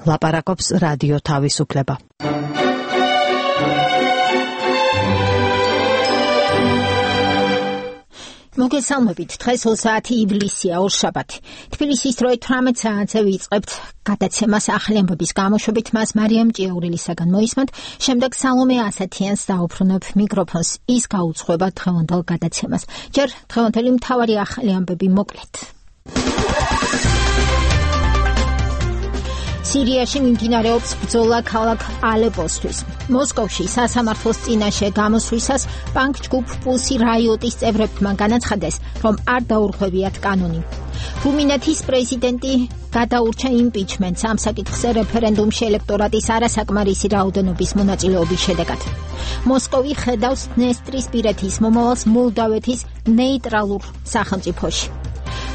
ლაპარაკობს რადიო თავისუფლება. მოგესალმებით, დღეს 20 ივლისია, ორშაბათი. თბილისის დროით 18 საათზე ვიწყებთ გადაცემას ახალი ამბების გამოშვებით, მას მარიამ ჭიაურელისაგან მოისმენთ, შემდეგ სალომე ასათიანს დაუბრუნებ მიკროფონს, ის გაუძღვება დღევანდელ გადაცემას. ჯერ დღევანდელი მთავარი ახალი ამბები მოკლედ. სირიაში მიმდინარეობს ბრძოლა ქალაქ ალეპოსთვის. მოსკოვში სასამართლოს წინაშე გამოსვლისას ბანკ-ჯგუფ პულსი რაიოტის წევრებმა განაცხადეს, რომ არ დაურღვევიათ კანონი. რუმინეთის პრეზიდენტი გადაურჩა იმპიჩმენტს ამ საკითხზე რეფერენდუმში ელექტორატის არასაკმარისი რაოდენობის მონაწილეობის შედეგად. მოსკოვი ხედავს დნესტრისპირეთის მომავალს მოლდავეთის ნეიტრალურ სახელმწიფოში.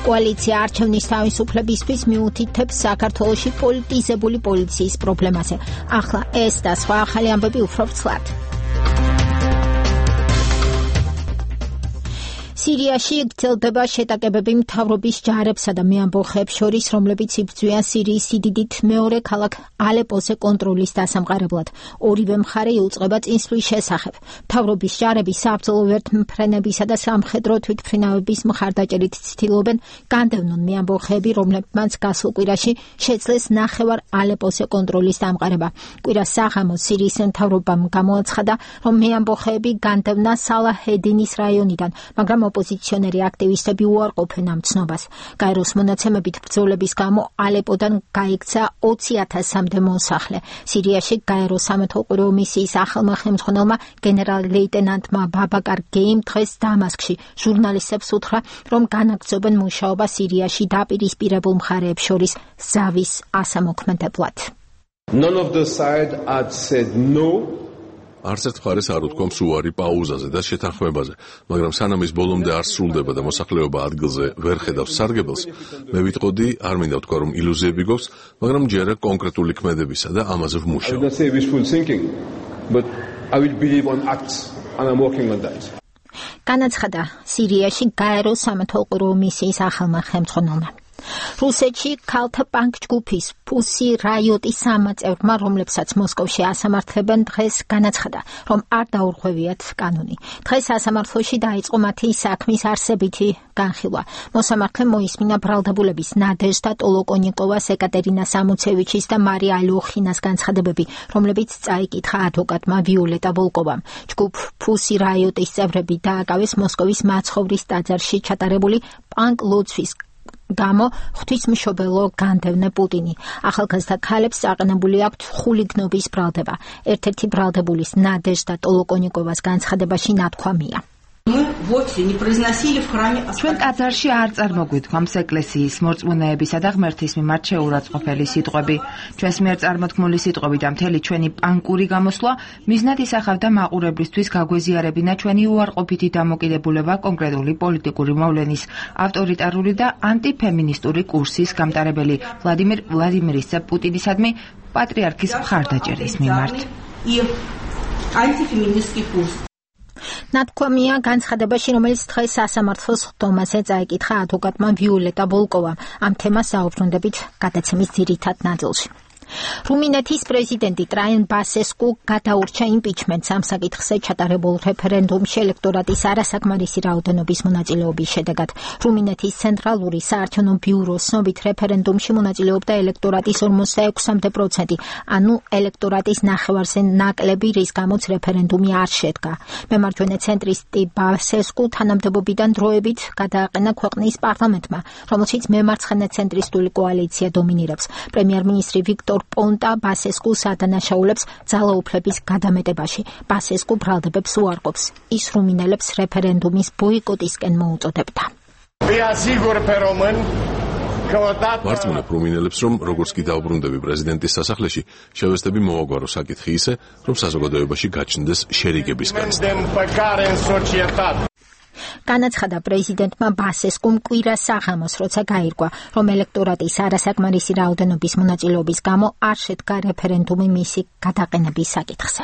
კოალიცია არჩევნის თავისუფლებისთვის მიუთითებს საქართველოში პოლიტიზებული პოლიციის პრობლემაზე. ახლა ეს და სხვა ახალი ამბები უფრო ვრცლად. სირიაში გრძელდება შეტაკებები მთავრობის ჯარებსა და მეამბოხეებს შორის, რომლებიც იბრძვიან სირიის სიდიდით მეორე ქალაქ ალეპოზე კონტროლის დასამყარებლად. ორივე მხარე იუწყება წინსვლის შესახებ. მთავრობის ჯარები საბრძოლო ვერთმფრენებისა და სამხედრო თვითმფრინავების მხარდაჭერით ცდილობენ განდევნონ მეამბოხეები, რომლებმაც გასულ კვირაში შეძლეს ნახევარ ალეპოზე კონტროლის დამყარება. კვირას საღამოს სირიის მთავრობამ გამოაცხადა, რომ მეამბოხეები განდევნა სალაჰედინის რაიონიდან, მაგრამ ოპოზიციონერი აქტივისტები უარყოფენ ამ ცნობას. გაეროს მონაცემებით ბრძოლების გამო ალეპოდან გაიქცა 20,000-მდე მოსახლე. სირიაში გაეროს სამეთვალყურეო მისიის ახალმა ხელმძღვანელმა გენერალ-ლეიტენანტმა ბაბაკარ გეიმ დღეს დამასკში ჟურნალისტებს უთხრა, რომ განაგრძობენ მუშაობა სირიაში დაპირისპირებულ მხარეებს შორის ზავის ასამოქმედებლად. None of the side had said no. არც ერთ მხარეს არ უთქვამს უარი პაუზაზე და შეთანხმებაზე, მაგრამ სანამ ის ბოლომდე არ სრულდება და მოსახლეობა ადგილზე ვერ ხედავს სარგებელს, მე ვიტყოდი, არ მინდა ვთქვა, რომ ილუზიები გვაქვს, მაგრამ ჯერა კონკრეტული ქმედებისა და ამაზე ვმუშაობ. I don't say wishful thinking, but I will believe on acts and I'm working on that. განაცხადა სირიაში გაეროს სამეთვალყურეო მისიის ახალმა ხელმძღვანელმა. რუსეთში ქალთა ბანკ-ჯგუფის პულსი რაიოტის სამაწევრმა, რომლებსაც მოსკოვში ასამართლებენ, დღეს განაცხადა, რომ არ დაურღვევიათ კანონი. დღეს სასამართლოში დაიწყო მათი საქმის არსებითი განხილვა. მოსამართლემ მოისმინა ბრალდებულების ნადეჟდა ტოლოკონიკოვას, ეკატერინას ამუცევიჩის და მარია ალოხინას განცხადებები, რომლებიც წაიკითხა ადვოკატმა ვიოლეტა ვოლკოვამ. ჯგუფ პულსი რაიოტის წევრები დააკავეს მოსკოვის მაცხოვრის ტაძარში ჩატარებული პანკ-ლოცვის გამო ღვთისმშობელო განდევნე პუტინი. ახალგაზრდა ქალებს წაყენებული აქვთ ხულიგნობის ბრალდება. ერთ-ერთი ბრალდებულის ნადეჟდა ტოლოკონიკოვას განცხადებაში ნათქვამია. ჩვენ ტაძარში არ წარმოგვიდგამს ეკლესიის მორწმუნეებისა და ღმერთის მიმართ შეურაცხყოფელი სიტყვები. ჩვენს მიერ წარმოთქმული სიტყვები და მთელი ჩვენი პანკური გამოსვლა მიზნად ისახავდა მაყურებლისთვის გაგვეზიარებინა ჩვენი უარყოფითი დამოკიდებულება კონკრეტული პოლიტიკური მოვლენის, ავტორიტარული და ანტიფემინისტური კურსის გამტარებელი ვლადიმირ ვლადიმირიჩ პუტინისადმი პატრიარქის მხარდაჭერის მიმართ. ნათქვამია განცხადებაში, რომელიც დღეს სასამართლოს ხდომაზე წაიკითხა ადვოკატმა ვიოლეტა ვოლკოვამ. ამ თემას საუბრუნდებით გადაცემის ძირითად ნაწილში. რუმინეთის პრეზიდენტი ტრაიან ბასესკუ გადაურჩა იმპიჩმენტს ამ საკითხზე ჩატარებულ რეფერენდუმში ელექტორატის არასაკმარისი რაოდენობის მონაწილეობის შედეგად. რუმინეთის ცენტრალური საარჩევნო ბიუროს ცნობით რეფერენდუმში მონაწილეობდა ელექტორატის 46%, ანუ ელექტორატის ნახევარზე ნაკლები, რის გამოც რეფერენდუმი არ შედგა. მემარჯვენე ცენტრისტი ბასესკუ თანამდებობიდან დროებით გადააყენა ქვეყნის პარლამენტმა, რომელშიც მემარცხენე ცენტრისტული კოალიცია დომინირებს. პრემიერ-მინისტრი ვიქტორ პონტა ბასესკუს ადანაშაულებს ძალაუფლების გადამეტებაში. ბასესკუ ბრალდებებს უარყოფს. ის რუმინელებს რეფერენდუმის ბოიკოტისკენ მოუწოდებდა. ვარწმუნებ რუმინელებს, რომ როგორც კი დაუბრუნდები პრეზიდენტის სასახლეში, შევეცდები მოვაგვარო საკითხი ისე, რომ საზოგადოებაში გაჩნდეს შერიგების განცდა. განაცხადა პრეზიდენტმა ბასესკუმ კვირას საღამოს, როცა გაირკვა, რომ ელექტორატის არასაკმარისი რაოდენობის მონაწილეობის გამო არ შედგა რეფერენდუმი მისი გადაყენების საკითხზე.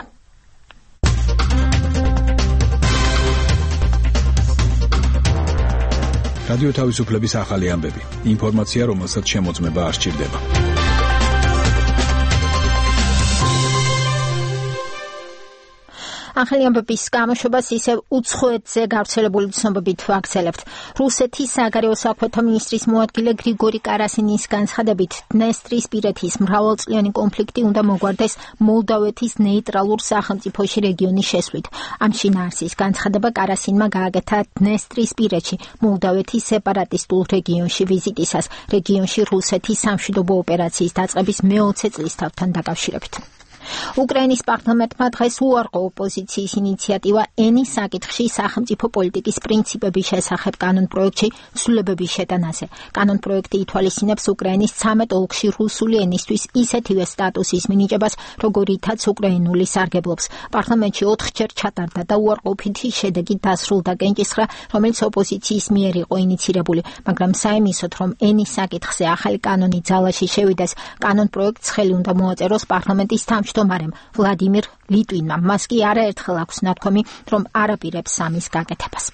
რადიო თავისუფლების ახალი ამბები. ინფორმაცია, რომელსაც შემოწმება არ სჭირდება. ახალი ამბების გამოშვებას ისევ უცხოეთზე გავრცელებული ცნობებით ვაგრძელებთ. რუსეთის საგარეო საქმეთა მინისტრის მოადგილე გრიგორი კარასინის განცხადებით, დნესტრისპირეთის მრავალწლიანი კონფლიქტი უნდა მოგვარდეს მოლდავეთის ნეიტრალურ სახელმწიფოში რეგიონის შესვლით. ამ შინაარსის განცხადება კარასინმა გააკეთა დნესტრისპირეთში მოლდავეთის სეპარატისტულ რეგიონში ვიზიტისას, რეგიონში რუსეთის სამშვიდობო ოპერაციის დაწყების მე-20 წლისთავთან დაკავშირებით. უკრაინის პარლამენტმა დღეს უარყო ოპოზიციის ინიციატივა ენის საკითხში სახელმწიფო პოლიტიკის პრინციპების შესახებ კანონპროექტში ცვლილებების შეტანაზე. კანონპროექტი ითვალისწინებს უკრაინის 13 ოლქში რუსული ენისთვის ისეთივე სტატუსის მინიჭებას, როგორითაც უკრაინული სარგებლობს. პარლამენტში 4-ჯერ ჩატარდა და უარყოფითი შედეგი დასრულდა კენჭისხრა, რომელიც ოპოზიციის მიერ იყო ინიცირებული, მაგრამ საიმისოდ, რომ ენის საკითხზე ახალი კანონი ძალაში შევიდეს, კანონპროექტს ხელი უნდა მოაწეროს პარლამენტის თავმჯდომარემ ვლადიმირ ლიტვინმა. მას კი არაერთხელ აქვს ნათქვამი, რომ არაპირებს ამის გაკეთებას.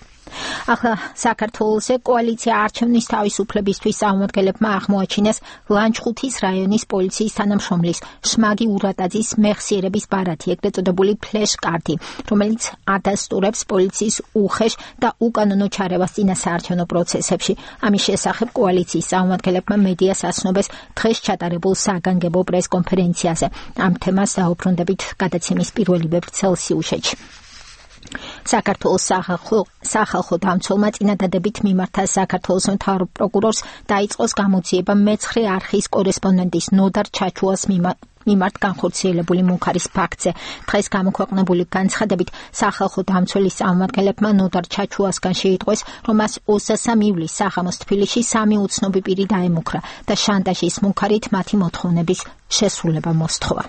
ახლა საქართველოს კოალიცია არჩევნის თავისუფლებისთვის წარმომადგენლებმა აღმოაჩინეს ლანჩხუთის რაიონის პოლიციის თანამშრომლის შმაგი ურატაძის მეხსიერების ბარათი, ეგრეთ წოდებული ფლეშ-კარტი, რომელიც ადასტურებს პოლიციის უხეშ და უკანონო ჩარევას წინასაარჩევნო პროცესებში. ამის შესახებ კოალიციის წარმომადგენლებმა მედიას ასნობეს დღეს ჩატარებულ საგანგებო პრესკონფერენციაზე. ამ თემას დაუბრუნდებით გადაცემის პირველი ვებრცელსიუშეთში. საქართველოს სახალხო დამცველმა წინადადებით მიმართა საქართველოს მთავარ პროკურორს დაიწყოს გამოძიება მეცხრე არხის კორესპონდენტის ნოდარ ჩაჩუას მიმართ განხორციელებული მუქარის ფაქტზე. დღეს გამოქვეყნებული განცხადებით სახალხო დამცველის წარმომადგენლებმა ნოდარ ჩაჩუასგან შეიტყვეს, რომ მას 23 ივლისს საღამოს თბილისში 3 უცნობი პირი დაემუქრა და შანტაჟის მუქარით მათი მოთხოვნების შესრულება მოსთხოვა.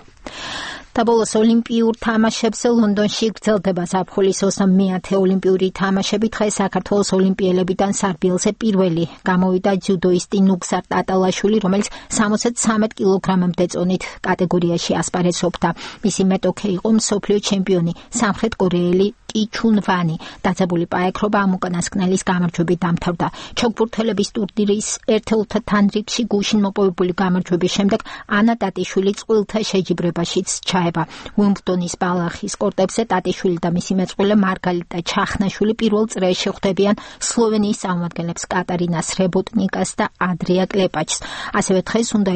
და ბოლოს ოლიმპიურ თამაშებზე ლონდონში გრძელდება ზაფხულის 21-ე ოლიმპიური თამაშები. დღეს საქართველოს ოლიმპიელებიდან სარბიელზე პირველი გამოვიდა ჯუდოისტი ნუგზარ ტატალაშვილი, რომელიც 73 კილოგრამამდე წონით კატეგორიაში ასპარეზობდა. მისი მეტოქე იყო მსოფლიო ჩემპიონი სამხრეთ კორეელი კი ჩუნ ვანი. დაძაბული პაექრობა ამ უკანასკნელის გამარჯვებით დამთავრდა. ჩოგბურთელების ტურნირის ერთეულთა თანრიგში გუშინ მოპოვებული გამარჯვების შემდეგ ანა ტატიშვილი წყვილთა შეჯიბრებაშიც ჩაება. უიმბლდონის ბალახის კორტებზე ტატიშვილი და მისი მეწყვილე მარგალიტა ჩახნაშვილი პირველ წრეში ხვდებიან სლოვენიის წარმომადგენლებს კატარინას რებოტნიკას და ადრია კლეპაჩს. ასევე დღეს უნდა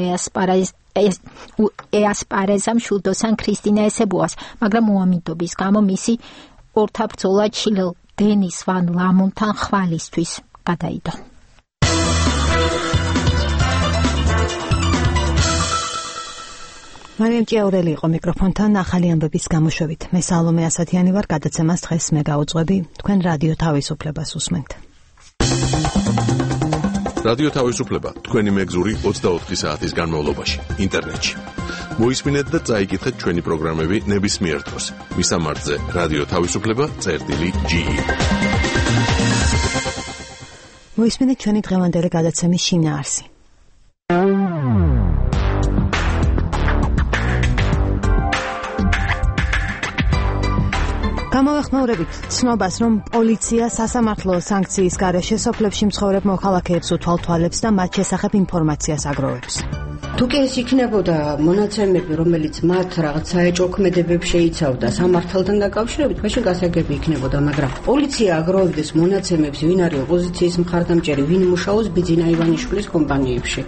ეასპარეზა მშვილდოსან ქრისტინა ესებუას, მაგრამ უამიდობის გამო მისი ორთაბრძოლა ჩილელ დენის ვან ლამონთან ხვალისთვის გადაიდო. მარიამ ჭიაურელი იყო მიკროფონთან ახალი ამბების გამოშვებით. მე სალომე ასათიანი ვარ, გადაცემას დღეს მე გავუძღვები. თქვენ რადიო თავისუფლებას უსმენთ. რადიო თავისუფლება თქვენი მეგზური 24 საათის განმავლობაში ინტერნეტში. მოისმინეთ და წაიკითხეთ ჩვენი პროგრამები ნებისმიერ დროს. მისამართზე რადიო თავისუფლება.ge. მოისმინეთ ჩვენი დღევანდელი გადაცემის შინაარსი. გამოვეხმაურებით ცნობას, რომ პოლიცია სასამართლო სანქციის გარეშე სოფლებში მცხოვრებ მოქალაქეებს უთვალთვალებს და მათ შესახებ ინფორმაციას აგროვებს. თუ კი ეს იქნებოდა მონაცემები, რომელიც მათ რაღაც საეჭვო ქმედებებს შეიცავდა სამართალთან დაკავშირებით, მაშინ გასაგები იქნებოდა, მაგრამ პოლიცია აგროვებდეს მონაცემებს, ვინ არის ოპოზიციის მხარდამჭერი, ვინ მუშაობს ბიძინა ივანიშვილის კომპანიებში.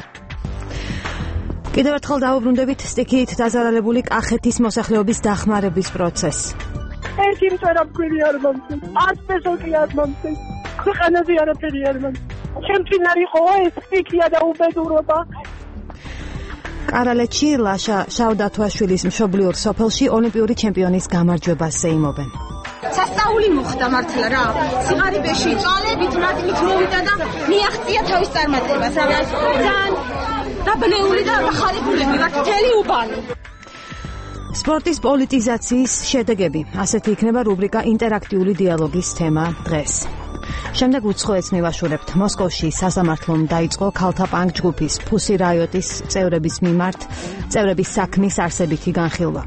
კიდევ ერთხელ დაუბრუნდებით სტიქიით დაზარალებული კახეთის მოსახლეობის დახმარების პროცესს. ერთი მწერა მკვირი არ მომწეს, ასპესოკლი არ მომწეს, ქვეყანაზე არაფერი არ მომწეს. ჩემთვის არ იყო ეს სტიქია და უბედურობა. კარალეთში ლაშა შავდათვაშვილის მშობლიურ სოფელში ოლიმპიური ჩემპიონის გამარჯვებას ეიმობენ. სასწაული მოხდა მართლა რა. სიღარიბეში წვალებით მათით მოვიდა და მიაღწია თავის წარმატებას. რა ძალიან დაბლეული და ახალგულები ვართ მთელი უბანი. სპორტის პოლიტიზაციის შედეგები. ასეთი იქნება რუბრიკა ინტერაქტიული დიალოგის თემა დღეს. შემდეგ უცხოეთს მივაშურებთ. მოსკოვში სასამართლომ დაიწყო ქალთა პანკ ჯგუფის ფუსი რაიოტის წევრების საქმის არსებითი განხილვა.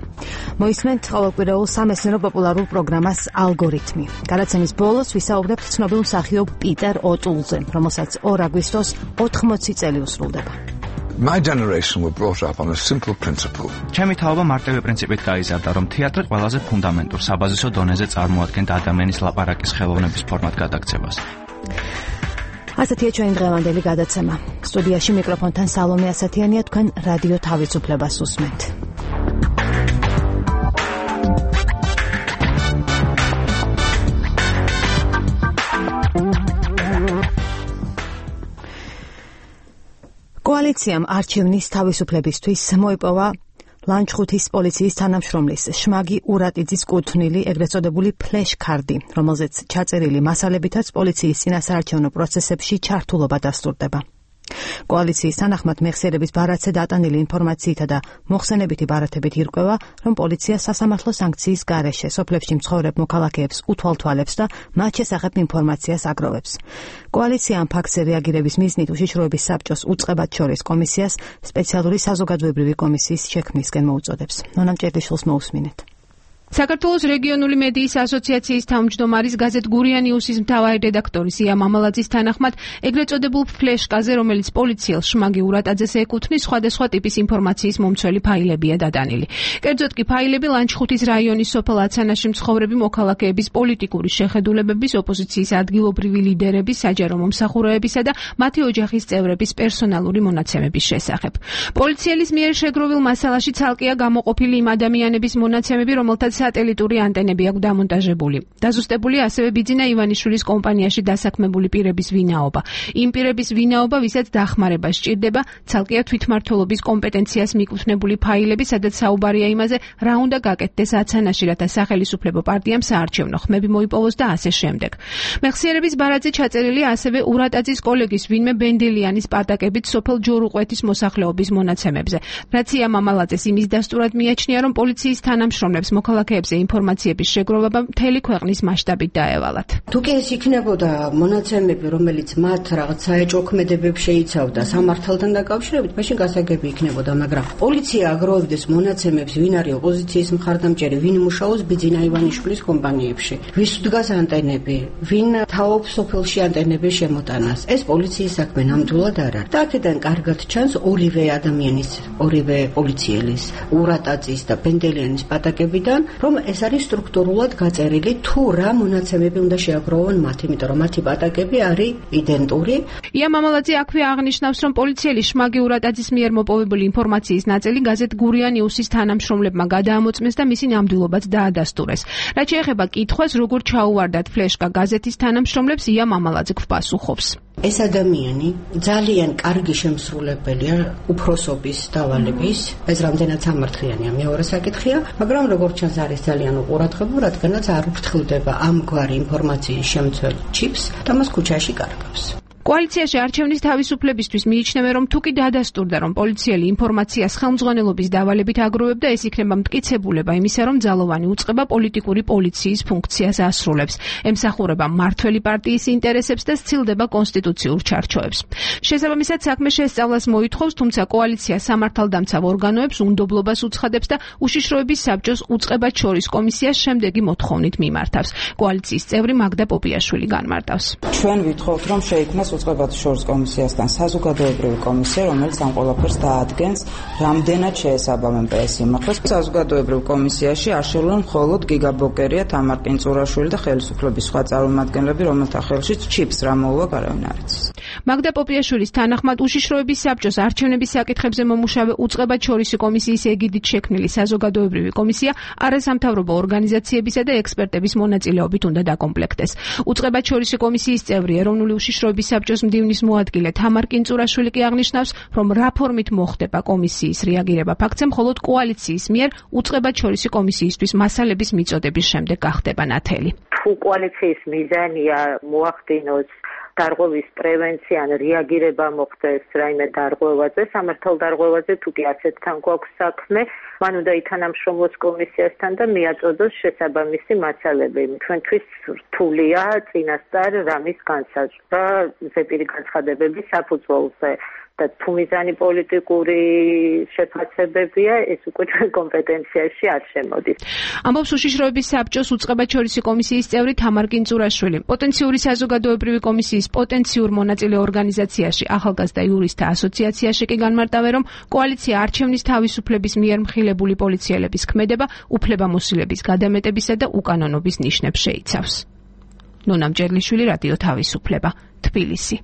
მოისმენთ ყოველკვირეულ სამეცნიერო პოპულარულ პროგრამას ალგორითმი. გადაცემის ბოლოს ვისაუბრებთ ცნობილ მსახიობ პიტერ ოტულზე, რომელსაც 2 აგვისტოს 80 წელი უსრულდება. My generation were brought up on a simple principle. ჩემი თაობა მარტივი პრინციპით გაიზარდა, რომ თეატრი ყველაზე ფუნდამენტურ საბაზისო დონეზე წარმოადგენდა ადამიანის ლაპარაკის ხელოვნების ფორმად გადაქცევას. ასეთია ჩვენი დღევანდელი გადაცემა. სტუდიაში მიკროფონთან სალომე ასათიანია, თქვენ რადიო თავისუფლებას უსმენთ. კოალიციამ არჩევნის თავისუფლებისთვის მოიპოვა ლანჩხუთის პოლიციის თანამშრომლის შმაგი ურატიძის კუთვნილი, ეგრეთ წოდებული ფლეშ ქარდი, რომელზეც ჩაწერილი მასალებითაც პოლიციის წინასაარჩევნო პროცესებში ჩართულობა დასტურდება. კოალიციის თანახმად მეხსიერების ბარათზე დატანილი ინფორმაციითა და მოხსენებითი ბარათებით ირკვევა, რომ პოლიცია სასამართლო სანქციის გარეშე სოფლებში მცხოვრებ მოქალაქეებს უთვალთვალებს და მათ შესახებ ინფორმაციას აგროვებს. კოალიცია ამ ფაქტზე რეაგირების მიზნით უშიშროების საბჭოს უწყებად შორის კომისიას სპეციალური საზოგადოებრივი კომისიის შექმნისკენ მოუწოდებს. ნონა მჭედიშვილს მოусმინეთ. საქართველოს რეგიონული მედიის ასოციაციის თავმჯდომარის გაზეთ გურია ნიუსის მთავარი რედაქტორის ია მამალაძის თანახმად, ეგრეთ წოდებულ ფლეშკაზე, რომელიც პოლიციელს შმაგი ურატაძეს ეკუთვნის, სხვადასხვა ტიპის ინფორმაციის მომცველი ფაილებია დადანილი. კერძოდ კი ფაილები ლანჩხუთის რაიონის სოფელ აცანაში მცხოვრები მოქალაქეების პოლიტიკური შეხედულებების, ოპოზიციის ადგილობრივი ლიდერების, საჯარო მომსახურეებისა და მათი ოჯახის წევრების პერსონალური მონაცემების შესახებ. პოლიციელის მიერ შეგროვილ მასალაში ცალკეა გამოყოფილი იმ ადამიანების მონაცემები, რომელთაც სატელიტური ანტენები აქვს დამონტაჟებული. დაზუსტებულია ასევე ბიძინა ივანიშვილის კომპანიაში დასაქმებული პირების ვინაობა. იმ პირების ვინაობა, ვისაც დახმარება სჭირდება, ცალკეა თვითმმართველობის კომპეტენციას მიკუთვნებული ფაილები, სადაც საუბარია იმაზე, რა უნდა გაკეთდეს აცანაში, რათა სახელისუფლებო პარტიამ საარჩევნო ხმები მოიპოვოს და ასე შემდეგ. მეხსიერების ბარათზე ჩაწერილი ასევე ურატაძის კოლეგის ვინმე ბენდელიანის პატაკებით სოფელ ჯორუყვეთის მოსახლეობის მონაცემებზე. რაც ია მამალაძეს იმის დასტურად მიაჩნია, რომ პოლიციის თანამშრომლებს მოქალაქეებზე ინფორმაციების შეგროვება მთელი ქვეყნის მასშტაბით დაევალათ. თუ კი ეს იქნებოდა მონაცემები, რომელიც მათ რაღაც საეჭვო ქმედებებს შეიცავდა სამართალთან დაკავშირებით, მაშინ გასაგები იქნებოდა, მაგრამ პოლიცია აგროვებდეს მონაცემებს, ვინ არის ოპოზიციის მხარდამჭერი, ვინ მუშაობს ბიძინა ივანიშვილის კომპანიებში, ვის დგას ანტენები, ვინ თაობს სოფელში ანტენების შემოტანას. ეს პოლიციის საქმე ნამდვილად არ არის. და აქედან კარგად ჩანს ორივე ადამიანის, ორივე პოლიციელის, ურატაძის და ბენდელიანის პატაკებიდან, რომ ეს არის სტრუქტურულად გაწერილი, თუ რა მონაცემები უნდა შეაგროვონ მათ, იმიტომ რომ მათი პატაკები არის იდენტური. ია მამალაძე აქვე აღნიშნავს, რომ პოლიციელი შმაგი ურატაძის მიერ მოპოვებული ინფორმაციის ნაწილი გაზეთ გურია ნიუსის თანამშრომლებმა გადაამოწმეს და მისი ნამდვილობაც დაადასტურეს. რაც შეეხება კითხვას, როგორ ჩაუვარდათ ფლეშკა გაზეთის თანამშრომლებს, ია მამალაძე გვპასუხობს. ეს ადამიანი ძალიან კარგი შემსრულებელია უფროსობის დავალების, ეს რამდენად სამართლიანია მეორე საკითხია, მაგრამ როგორც ჩანს არის ძალიან უყურადღებო, რადგანაც არ უფრთხილდება ამგვარი ინფორმაციის შემცველ ჩიპს და მას ქუჩაში კარგავს. კოალიციაში არჩევნის თავისუფლებისთვის მიიჩნევენ, რომ თუ კი დადასტურდა, რომ პოლიციელი ინფორმაციას ხელმძღვანელობის დავალებით აგროვებდა, ეს იქნება მტკიცებულება იმისა, რომ ძალოვანი უწყება პოლიტიკური პოლიციის ფუნქციას ასრულებს, ემსახურება მმართველი პარტიის ინტერესებს და სცილდება კონსტიტუციურ ჩარჩოებს. შესაბამისად, საქმე შესწავლას მოითხოვს, თუმცა კოალიცია სამართალდამცავ ორგანოებს უნდობლობას უცხადებს და უშიშროების საბჭოს უწყებად შორის კომისიას შემდეგი მოთხოვნით მიმართავს. კოალიციის წევრი მაგდა პოპიაშვილი განმარტავს. ჩვენ ვითხოვთ, რომ შეიქმნას უწყებად შორის კომისიასთან საზოგადოებრივი კომისია, რომელიც ამ ყველაფერს დაადგენს, რამდენად შეესაბამენ PS იმართოს. საზოგადოებრივ კომისიაში არ შევლენ მხოლოდ გიგა ბოკერია, თამარ კინწურაშვილი და ხელისუფლების სხვა წარმომადგენლები, რომელთა ხელშიც ჩიპს რა მოუვა, არავინ არ იცის. მაგდა პოპიაშვილის თანახმად უშიშროების საბჭოს არჩევნების საკითხებზე მომუშავე უწყებად შორისი კომისიის ეგიდით შექმნილი საზოგადოებრივი კომისია არასამთავრობო ორგანიზაციებისა და ექსპერტების მონაწილეობით უნდა დაკომპლექტდეს. უწყებად შორისი კომისიის წევრი ეროვნული უშიშროების საბჭოს მდივნის მოადგილე თამარ კინწურაშვილი კი აღნიშნავს, რომ რა ფორმით მოხდება კომისიის რეაგირება ფაქტზე, მხოლოდ კოალიციის მიერ უწყებად შორისი კომისიისთვის მასალების მიწოდების შემდეგ გახდება ნათელი. თუ კოალიციის მიზანია მოახდინოს დარღვევის პრევენცია ან რეაგირება მოხდეს რაიმე დარღვევაზე, სამართალ დარღვევაზე, თუ კი ასეთთან გვაქვს საქმე, მან უნდა ითანამშრომლოს კომისიასთან და მიაწოდოს შესაბამისი მასალები. ჩვენთვის რთულია წინასწარ რამის განსაზღვრა ზეპირი განცხადებების საფუძველზე. და თუ მიზანი პოლიტიკური შეფასებებია, ეს უკვე ჩვენ კომპეტენციაში არ შემოდის. ამბობს უშიშროების საბჭოს უწყებაჩორისი კომისიის წევრი თამარ კინწურაშვილი. პოტენციური საზოგადოებრივი კომისიის პოტენციურ მონაწილე ორგანიზაციაში ახალგაზრდა იურისტთა ასოციაციაში კი განმარტავენ, რომ კოალიცია არჩევნის თავისუფლების მიერ მხილებული პოლიციელების ქმედება, უფლებამოსილების გადამეტებისა და უკანონობის ნიშნებს შეიცავს. ნონა მჭერლიშვილი, რადიო თავისუფლება, თბილისი.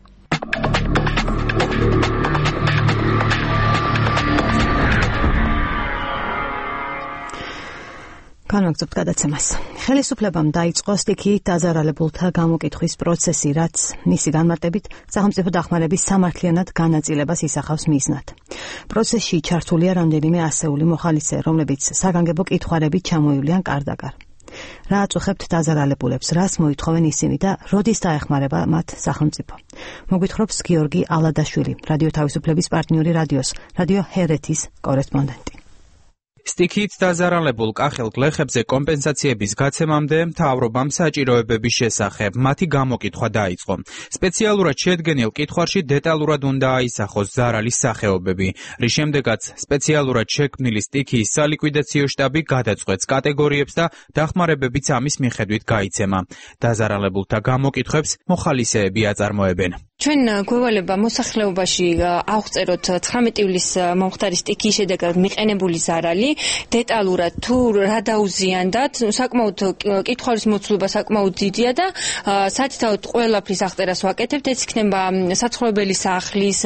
განვაგრძობთ გადაცემას. ხელისუფლებამ დაიწყო სტიქიით დაზარალებულთა გამოკითხვის პროცესი, რაც მისი განმარტებით სახელმწიფო დახმარების სამართლიანად განაწილებას ისახავს მიზნად. პროცესში ჩართულია რამდენიმე ასეული მოხალისე, რომლებიც საგანგებო კითხვარებით ჩამოივლიან კარდაკარ. რა აწუხებთ დაზარალებულებს, რას მოითხოვენ ისინი და როდის დაეხმარება მათ სახელმწიფო? მოგვითხრობს გიორგი ალადაშვილი, რადიო თავისუფლების პარტნიორი რადიო ჰერეთის კორესპონდენტი. სტიქიით დაზარალებულ კახელ გლეხებზე კომპენსაციების გაცემამდე მთავრობამ საჭიროებების შესახებ მათი გამოკითხვა დაიწყო. სპეციალურად შედგენილ კითხვარში დეტალურად უნდა აისახოს ზარალის სახეობები, რის შემდეგაც სპეციალურად შექმნილი სტიქიის სალიკვიდაციო შტაბი გადაწყვეტს კატეგორიებს და დახმარებებიც ამის მიხედვით გაიცემა. დაზარალებულთა გამოკითხვებს მოხალისეები აწარმოებენ. ჩვენ გვევალება მოსახლეობაში ავღწეროთ 19 ივლისის მომხდარი სტიქიის შედეგად მიყენებული ზარალი, დეტალურად თუ რა დაუზიანდათ, საკმაოდ კითხვის მოცულობა საკმაოდ დიდია და სათითაოდ ყველაფრის აღწერას ვაკეთებთ, ეს იქნება საცხოვრებელი სახლის,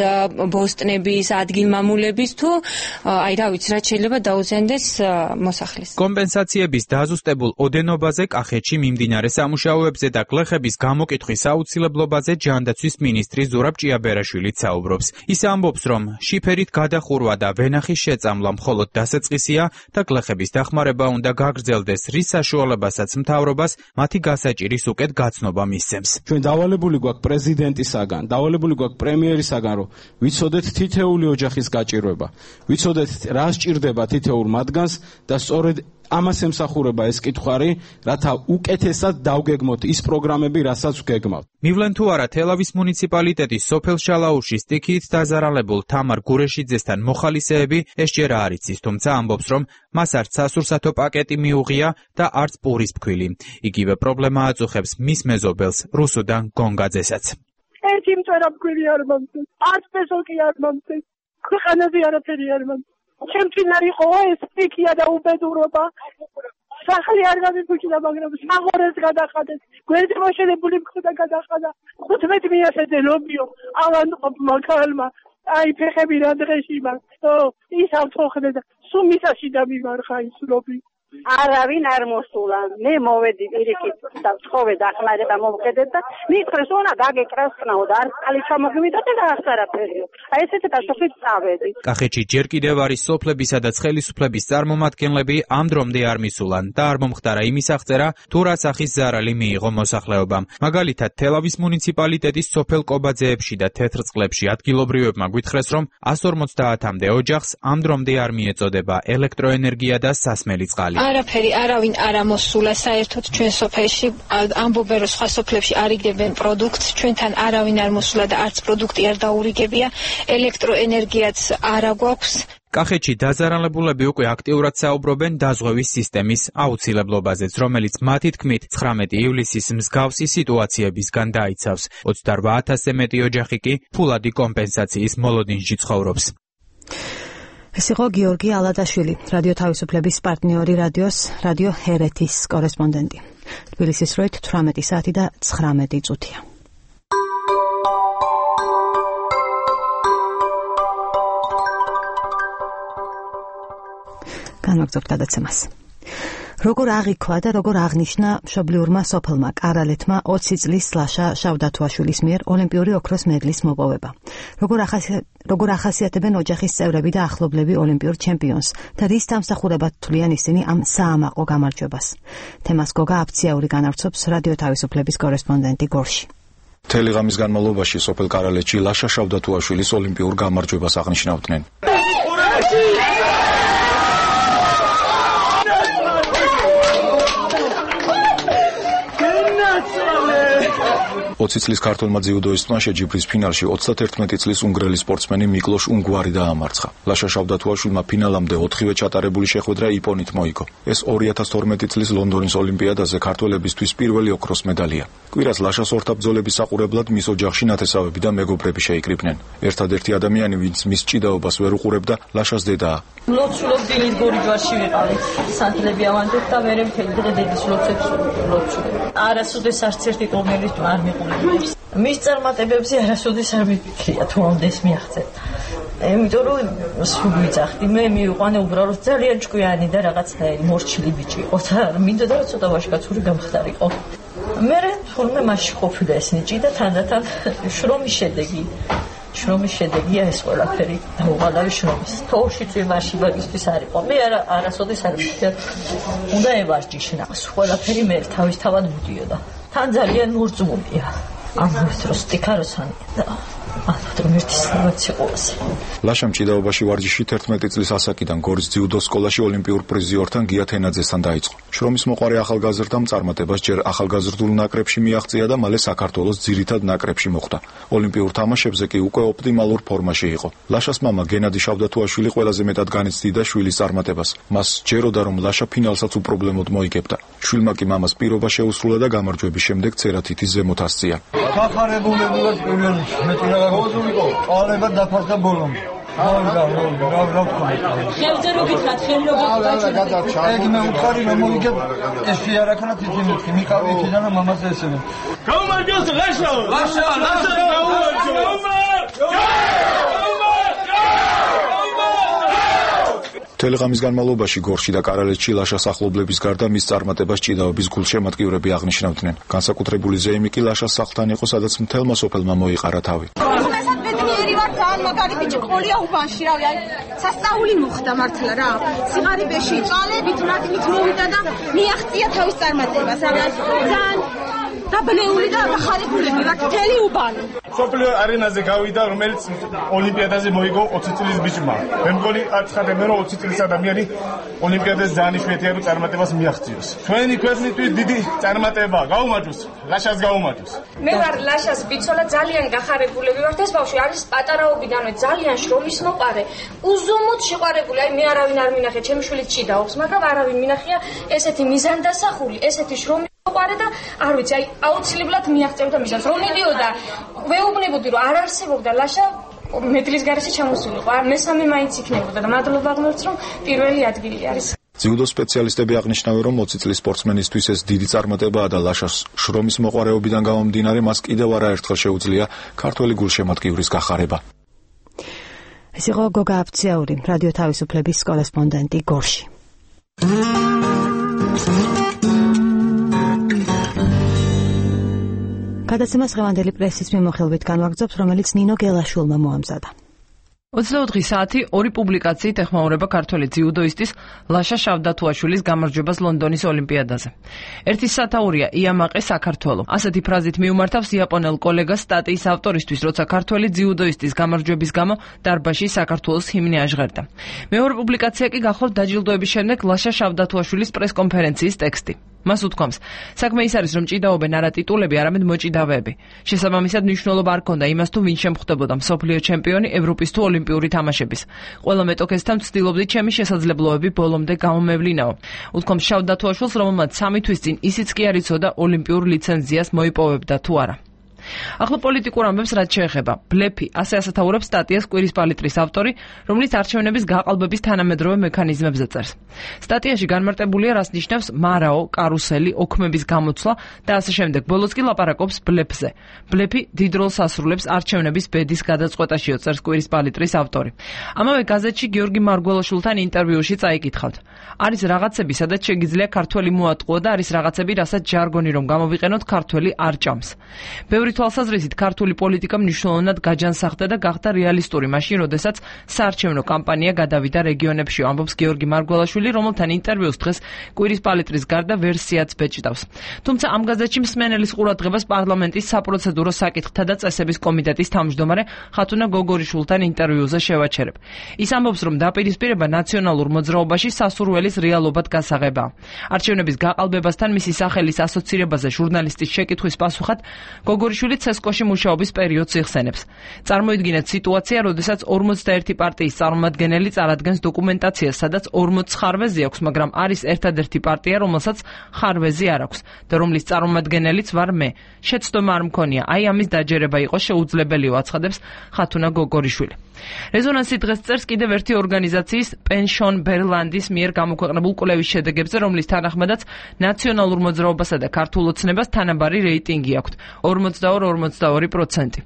ბოსტნების, ადგილმამულების თუ აი რა ვიცი, რაც შეიძლება დაუზიანდეს მოსახლის. კომპენსაციების დაზუსტებულ ოდენობაზე კახეთში მიმდინარე სამუშაოებზე და გლეხების გამოკითხვის აუცილებლობაზე ჯანდაცვის მინისტრი ზურაბ ჭიაბერაშვილიც საუბრობს. ის ამბობს, რომ შიფერით გადახურვა და ვენახის შეწამლა მხოლოდ დასაწყისია და გლეხების დახმარება უნდა გაგრძელდეს, რის საშუალებასაც მთავრობას მათი გასაჭირის უკეთ გაცნობა მისცემს. ჩვენ დავალებული გვაქვს პრეზიდენტისაგან, დავალებული გვაქვს პრემიერისაგან, რომ ვიცოდეთ თითეული ოჯახის გაჭირვება, ვიცოდეთ რა სჭირდება თითოეულ მათგანს და სწორედ ამას ემსახურება ეს კითხვარი, რათა უკეთესად დავგეგმოთ ის პროგრამები, რასაც ვგეგმავთ. მივლენ თუ არა თელავის მუნიციპალიტეტის სოფელ შალაუში სტიქიით დაზარალებულ თამარ გურეშიძესთან მოხალისეები ეს ჯერ არ იცის, თუმცა ამბობს, რომ მას არც სასურსათო პაკეტი მიუღია და არც პურის ფქვილი. იგივე პრობლემა აწუხებს მის მეზობელს რუსუდან გონგაძესაც. ერთი მწერა ფქვილი არ მომწეს, არც პესო კი არ მომწეს, ქვეყანაზე არაფერი არ მომწეს. ჩემთვის იყო ეს სტიქია და უბედურობა. სახლი არ გამიფუჭდა, მაგრამ საღორეს გადახადეს. გვერდი მოშენებული მხრდა გადახადა. 15 მიასეძე ლობიო ავანტყოფმა ქალმა. აი ფეხები რა დღეში მაქვს. ის ავთოხდა და სულ მიწაში დამიმარხა ის ლობი. არავინ არ მოსულა. მე მოვედი პირიქით და ვთხოვე დახმარება მომხედეთ და მითხრეს უნდა გაგეკრას ხნაო და არ წყალი ჩამოგმიდოთ და აღსარაფერია. აი ესეთი დასოფლით წავედი. კახეთში ჯერ კიდევ არის სოფლებისა და ხელისუფლების წარმომადგენლები ამ დრომდე არ მისულან და არ მომხდარა იმის აღწერა, თუ რა სახის ზარალი მიიღო მოსახლეობამ. მაგალითად, თელავის მუნიციპალიტეტის სოფელ კობაძეებში და თეთრწყლებში ადგილობრივებმა გვითხრეს, რომ 150-მდე ოჯახს ამ დრომდე არ მიეწოდება ელექტროენერგია და სასმელი წყალი. არაფერი არავინ არ ამოსულა საერთოდ ჩვენ სოფელში, ამბობენ რომ სხვა სოფლებში არიგებენ პროდუქტს, ჩვენთან არავინ არ მოსულა და არც პროდუქტი არ დაურიგებია, ელექტროენერგიაც არ აგვაქვს. კახეთში დაზარალებულები უკვე აქტიურად საუბრობენ დაზღვევის სისტემის აუცილებლობაზეც, რომელიც მათი თქმით 19 ივლისის მსგავსი სიტუაციებისგან დაიცავს. 28,000-ზე მეტი ოჯახი კი ფულადი კომპენსაციის მოლოდინში ცხოვრობს. ეს იყო გიორგი ალადაშვილი, რადიო თავისუფლების პარტნიორი რადიო ჰერეთის კორესპონდენტი. თბილისის დროით 18 საათი და 19 წუთია. განვაგრძობთ გადაცემას. როგორ აღიქვა და როგორ აღნიშნა მშობლიურმა სოფელმა კარალეთმა 20 წლის ლაშა შავდათუაშვილის მიერ ოლიმპიური ოქროს მედლის მოპოვება. როგორ ახასიათებენ ოჯახის წევრები და ახლობლები ოლიმპიურ ჩემპიონს და რის დამსახურებად თვლიან ისინი ამ საამაყო გამარჯვებას. თემას გოგა აფციური განავრცობს რადიო თავისუფლების კორესპონდენტი გორში. მთელი ღამის განმავლობაში სოფელ კარალეთში ლაშა შავდათუაშვილის ოლიმპიურ გამარჯვებას აღნიშნავდნენ. 20 წლის ქართველმა ძიუდოისტმა შეჯიბრის ფინალში 31 წლის უნგრელი სპორტსმენი მიკლოშ უნგვარი დაამარცხა. ლაშა შავდათუაშვილმა ფინალამდე 4-ვე ჩატარებული შეხვედრა იპონით მოიგო. ეს 2012 წლის ლონდონის ოლიმპიადაზე ქართველებისთვის პირველი ოქროს медаლია. კვირას ლაშას ორთაბძოლების საყურებლად მის ოჯახში ნათესავები და მეგობრები შეიკრიბნენ. ერთადერთი ადამიანი, ვინც მის ჭიდაობას ვერ უყურებდა, ლაშას დედაა. ლოცულობ დილით გორიჯვარში ვიყავით. სანთლები ავანდეთ და მე მთელი დღე დედის ლოცებს ლოცულობ. არასოდეს არც ერთი ტურნირის არ მიყოლებს. მის წარმატებებზე არასოდეს არ მიფიქრია თუ ამდეს მიაღწევ. იმიტომ რომ სულ ვიძახდი, მე მივიყვანე უბრალოდ ძალიან ჭკვიანი და რაღაცნაირი მორჩილი ბიჭი იყო და მინდოდა რომ ცოტა ვაჟკაცური გამხდარიყო. მე თურმე მასში ყოფილა ეს ნიჭი და თანდათან შრომის შედეგია ეს ყველაფერი დაუღალავი შრომის. თოვლში წვიმაში მაგისთვის არ იყო. მე არასოდეს არ მივხვდი. უნდა ევარჯიშნა. ყველაფერი მე თავისთავად მოდიოდა. თან ძალიან მორწმუნეა. ამ დროს სტიქაროსანია და ლაშამ ჭიდაობაში ვარჯიში 11 წლის ასაკიდან გორის ძიუდო სკოლაში ოლიმპიურ პრიზიორთან გია თენაძესთან დაიწყო. შრომის მოყარე ახალგაზრდამ წარმატებას ჯერ ახალგაზრდულ ნაკრებში მიაღწია და მალე საქართველოს ძირითად ნაკრებში მოხვდა. ოლიმპიურ თამაშებზე კი უკვე ოპტიმალურ ფორმაში იყო. ლაშას მამა გენადი შავდათუაშვილი ყველაზე მეტად განიცდიდა შვილის წარმატებას. მას ჯეროდა რომ ლაშა ფინალსაც უპრობლემოდ მოიგებდა. შვილმა კი მამას პირობა შეუსრულა და გამარჯვების შემდეგ ცერათითის ზემოთ ასწია. დახარებულებულად პირველ გოზულიკო, ყალება დაფასდა ბოლომდე. ხევზე რო გითხრათ, ეგ მე უთხარი რომ მოიგებ ეს შეარაქნა თითქმის მიყავი იქიდან და მამას ესწრებენ. გაუმარჯოს ლაშა! ლაშა! თელეღამის განმავლობაში გორში და კარალეთში ლაშას ახლობლების გარდა მის წარმატებას ჭიდაობის გულშემატკივრები აღნიშნავდნენ. განსაკუთრებული ზეიმი კი ლაშას სახლთან იყო, სადაც მთელმა სოფელმა მოიყარა თავი. ძალიან მაგარი ბიჭი ყოლია უბანში, რავი, აი სასწაული მოხდა მართლა რა. სიღარიბეში წვალებით რატივით მოვიდა და მიაღწია თავის წარმატებას, რავი, ძალიან დაბლეული და დახარებულები ვართ მთელი უბანი. სოფლიო არენაზე გავიდა, რომელიც ოლიმპიადაზე მოიგო 20 წლის ბიჭმა. მე მგონი აცხადებენ რომ 20 წლის ადამიანი ოლიმპიადაზე ძალიან იშვიათია წარმატებას მიაღწიოს. ჩვენი ქვეყნისთვის დიდი წარმატება, გაუმარჯოს, ლაშას გაუმარჯოს. მე ვარ ლაშას ბიცოლა, ძალიან გახარებულები ვართ. ეს ბავშვი არის პატარაობიდანვე ძალიან შრომის მოყარე, უზომოდ შეყვარებული. აი მე არავინ არ მინახე, ჩემი შვილი ჭიდაობს, მაგრამ არავინ მინახია ესეთი მიზანდასახული, ესეთი შრომის მოყარე და არ ვიცი, აი აუცილებლად მიაღწევდა მისას. რომ მიდიოდა, ვეუბნებოდი რომ არ არსებობდა ლაშა მედლის გარეშე ჩამოსულიყო. მესამე მაინც იქნებოდა და მადლობა ღმერთს რომ პირველი ადგილი არის. ძიუდო სპეციალისტები აღნიშნავენ, რომ 20 წლის სპორტსმენისთვის ეს დიდი წარმატებაა და ლაშას შრომის მოყარეობიდან გამომდინარე მას კიდევ არაერთხელ შეუძლია ქართველი გულშემატკივრის გახარება. ეს იყო გოგა აფციაური, რადიო თავისუფლების კორესპონდენტი გორში. გადაცემას ღევანდელი პრესის მიმოხილვით განვაგრძობთ, რომელიც ნინო გელაშვილმა მოამზადა. 24 საათი ორი პუბლიკაციით ეხმაურება ქართველი ძიუდოისტის ლაშა შავდათუაშვილის გამარჯვებას ლონდონის ოლიმპიადაზე. ერთის სათაურია იამაყე საქართველო. ასეთი ფრაზით მიუმართავს იაპონელ კოლეგას სტატიის ავტორისთვის, როცა ქართველი ძიუდოისტის გამარჯვების გამო დარბაზში საქართველოს ჰიმნი აჟღერდა. მეორე პუბლიკაცია კი გახლავთ დაჯილდოების შემდეგ ლაშა შავდათუაშვილის პრესკონფერენციის ტექსტი. მას უთქვამს, საქმე ის არის, რომ ჭიდაობენ არა ტიტულები, არამედ მოჭიდავეები. შესაბამისად მნიშვნელობა არ ქონდა იმას, თუ ვინ შემხვდებოდა მსოფლიო ჩემპიონი, ევროპის თუ ოლიმპიური თამაშების. ყველა მეტოქესთან ვცდილობდი ჩემი შესაძლებლობები ბოლომდე გამომევლინაო. უთქვამს შავდათუაშვილს, რომელმაც 3 თვის წინ ისიც კი არ იცოდა ოლიმპიურ ლიცენზიას მოიპოვებდა თუ არა. ახლა პოლიტიკურ ამბებს რაც შეეხება. ბლეფი, ასე ასათაურებს სტატიას კვირის პალიტრის ავტორი, რომელიც არჩევნების გაყალბების თანამედროვე მექანიზმებზე წერს. სტატიაში განმარტებულია, რას ნიშნავს მარაო, კარუსელი, ოქმების გამოცვლა და ასე შემდეგ. ბოლოს კი ლაპარაკობს ბლეფზე. ბლეფი დიდ როლს ასრულებს არჩევნების ბედის გადაწყვეტაშიო, წერს კვირის პალიტრის ავტორი. ამავე გაზეთში გიორგი მარგველაშვილთან ინტერვიუში წაიკითხავთ. არის რაღაცები, სადაც შეგიძლია ქართველი მოატყუო და არის რაღაცები, რასაც ჟარგონი რომ გამოვიყენოთ, ქართველი არ ჭამს. ბევრი თვალსაზრისით ქართული პოლიტიკა მნიშვნელოვნად გაჯანსაღდა და გახდა რეალისტური მაშინ, როდესაც საარჩევნო კამპანია გადავიდა რეგიონებში, ამბობს გიორგი მარგველაშვილი, რომელთან ინტერვიუს დღეს კვირის პალიტრის გარდა ვერსიაც ბეჭდავს. თუმცა ამ გაზეთში მსმენელის ყურადღებას პარლამენტის საპროცედურო საკითხთა და წესების კომიტეტის თავმჯდომარე ხათუნა გოგორიშვილთან ინტერვიუზე შევაჩერებ. ის ამბობს, რომ დაპირისპირება ნაციონალურ მოძრაობაში სასურველის რეალობად გასაღებაა. არჩევნების გაყალბებასთან მისი სახელის ასოცირებაზე ჟურნალისტის შეკითხვის პასუხად გოგორიშვილი ივანიშვილი ცესკოში მუშაობის პერიოდს იხსენებს. წარმოიდგინეთ სიტუაცია, როდესაც 51 პარტიის წარმომადგენელი წარადგენს დოკუმენტაციას, სადაც 40 ხარვეზი აქვს, მაგრამ არის ერთადერთი პარტია, რომელსაც ხარვეზი არ აქვს და რომლის წარმომადგენელიც ვარ მე. შეცდომა არ მქონია, აი ამის დაჯერება იყო შეუძლებელიო, აცხადებს ხათუნა გოგორიშვილი. რეზონანსი დღეს წერს კიდევ ერთი ორგანიზაციის პენშონ ბერლანდის მიერ გამოქვეყნებულ კვლევის შედეგებზე, რომლის თანახმადაც ნაციონალურ მოძრაობასა და ქართულ ოცნებას თანაბარი რეიტინგი აქვთ 42%.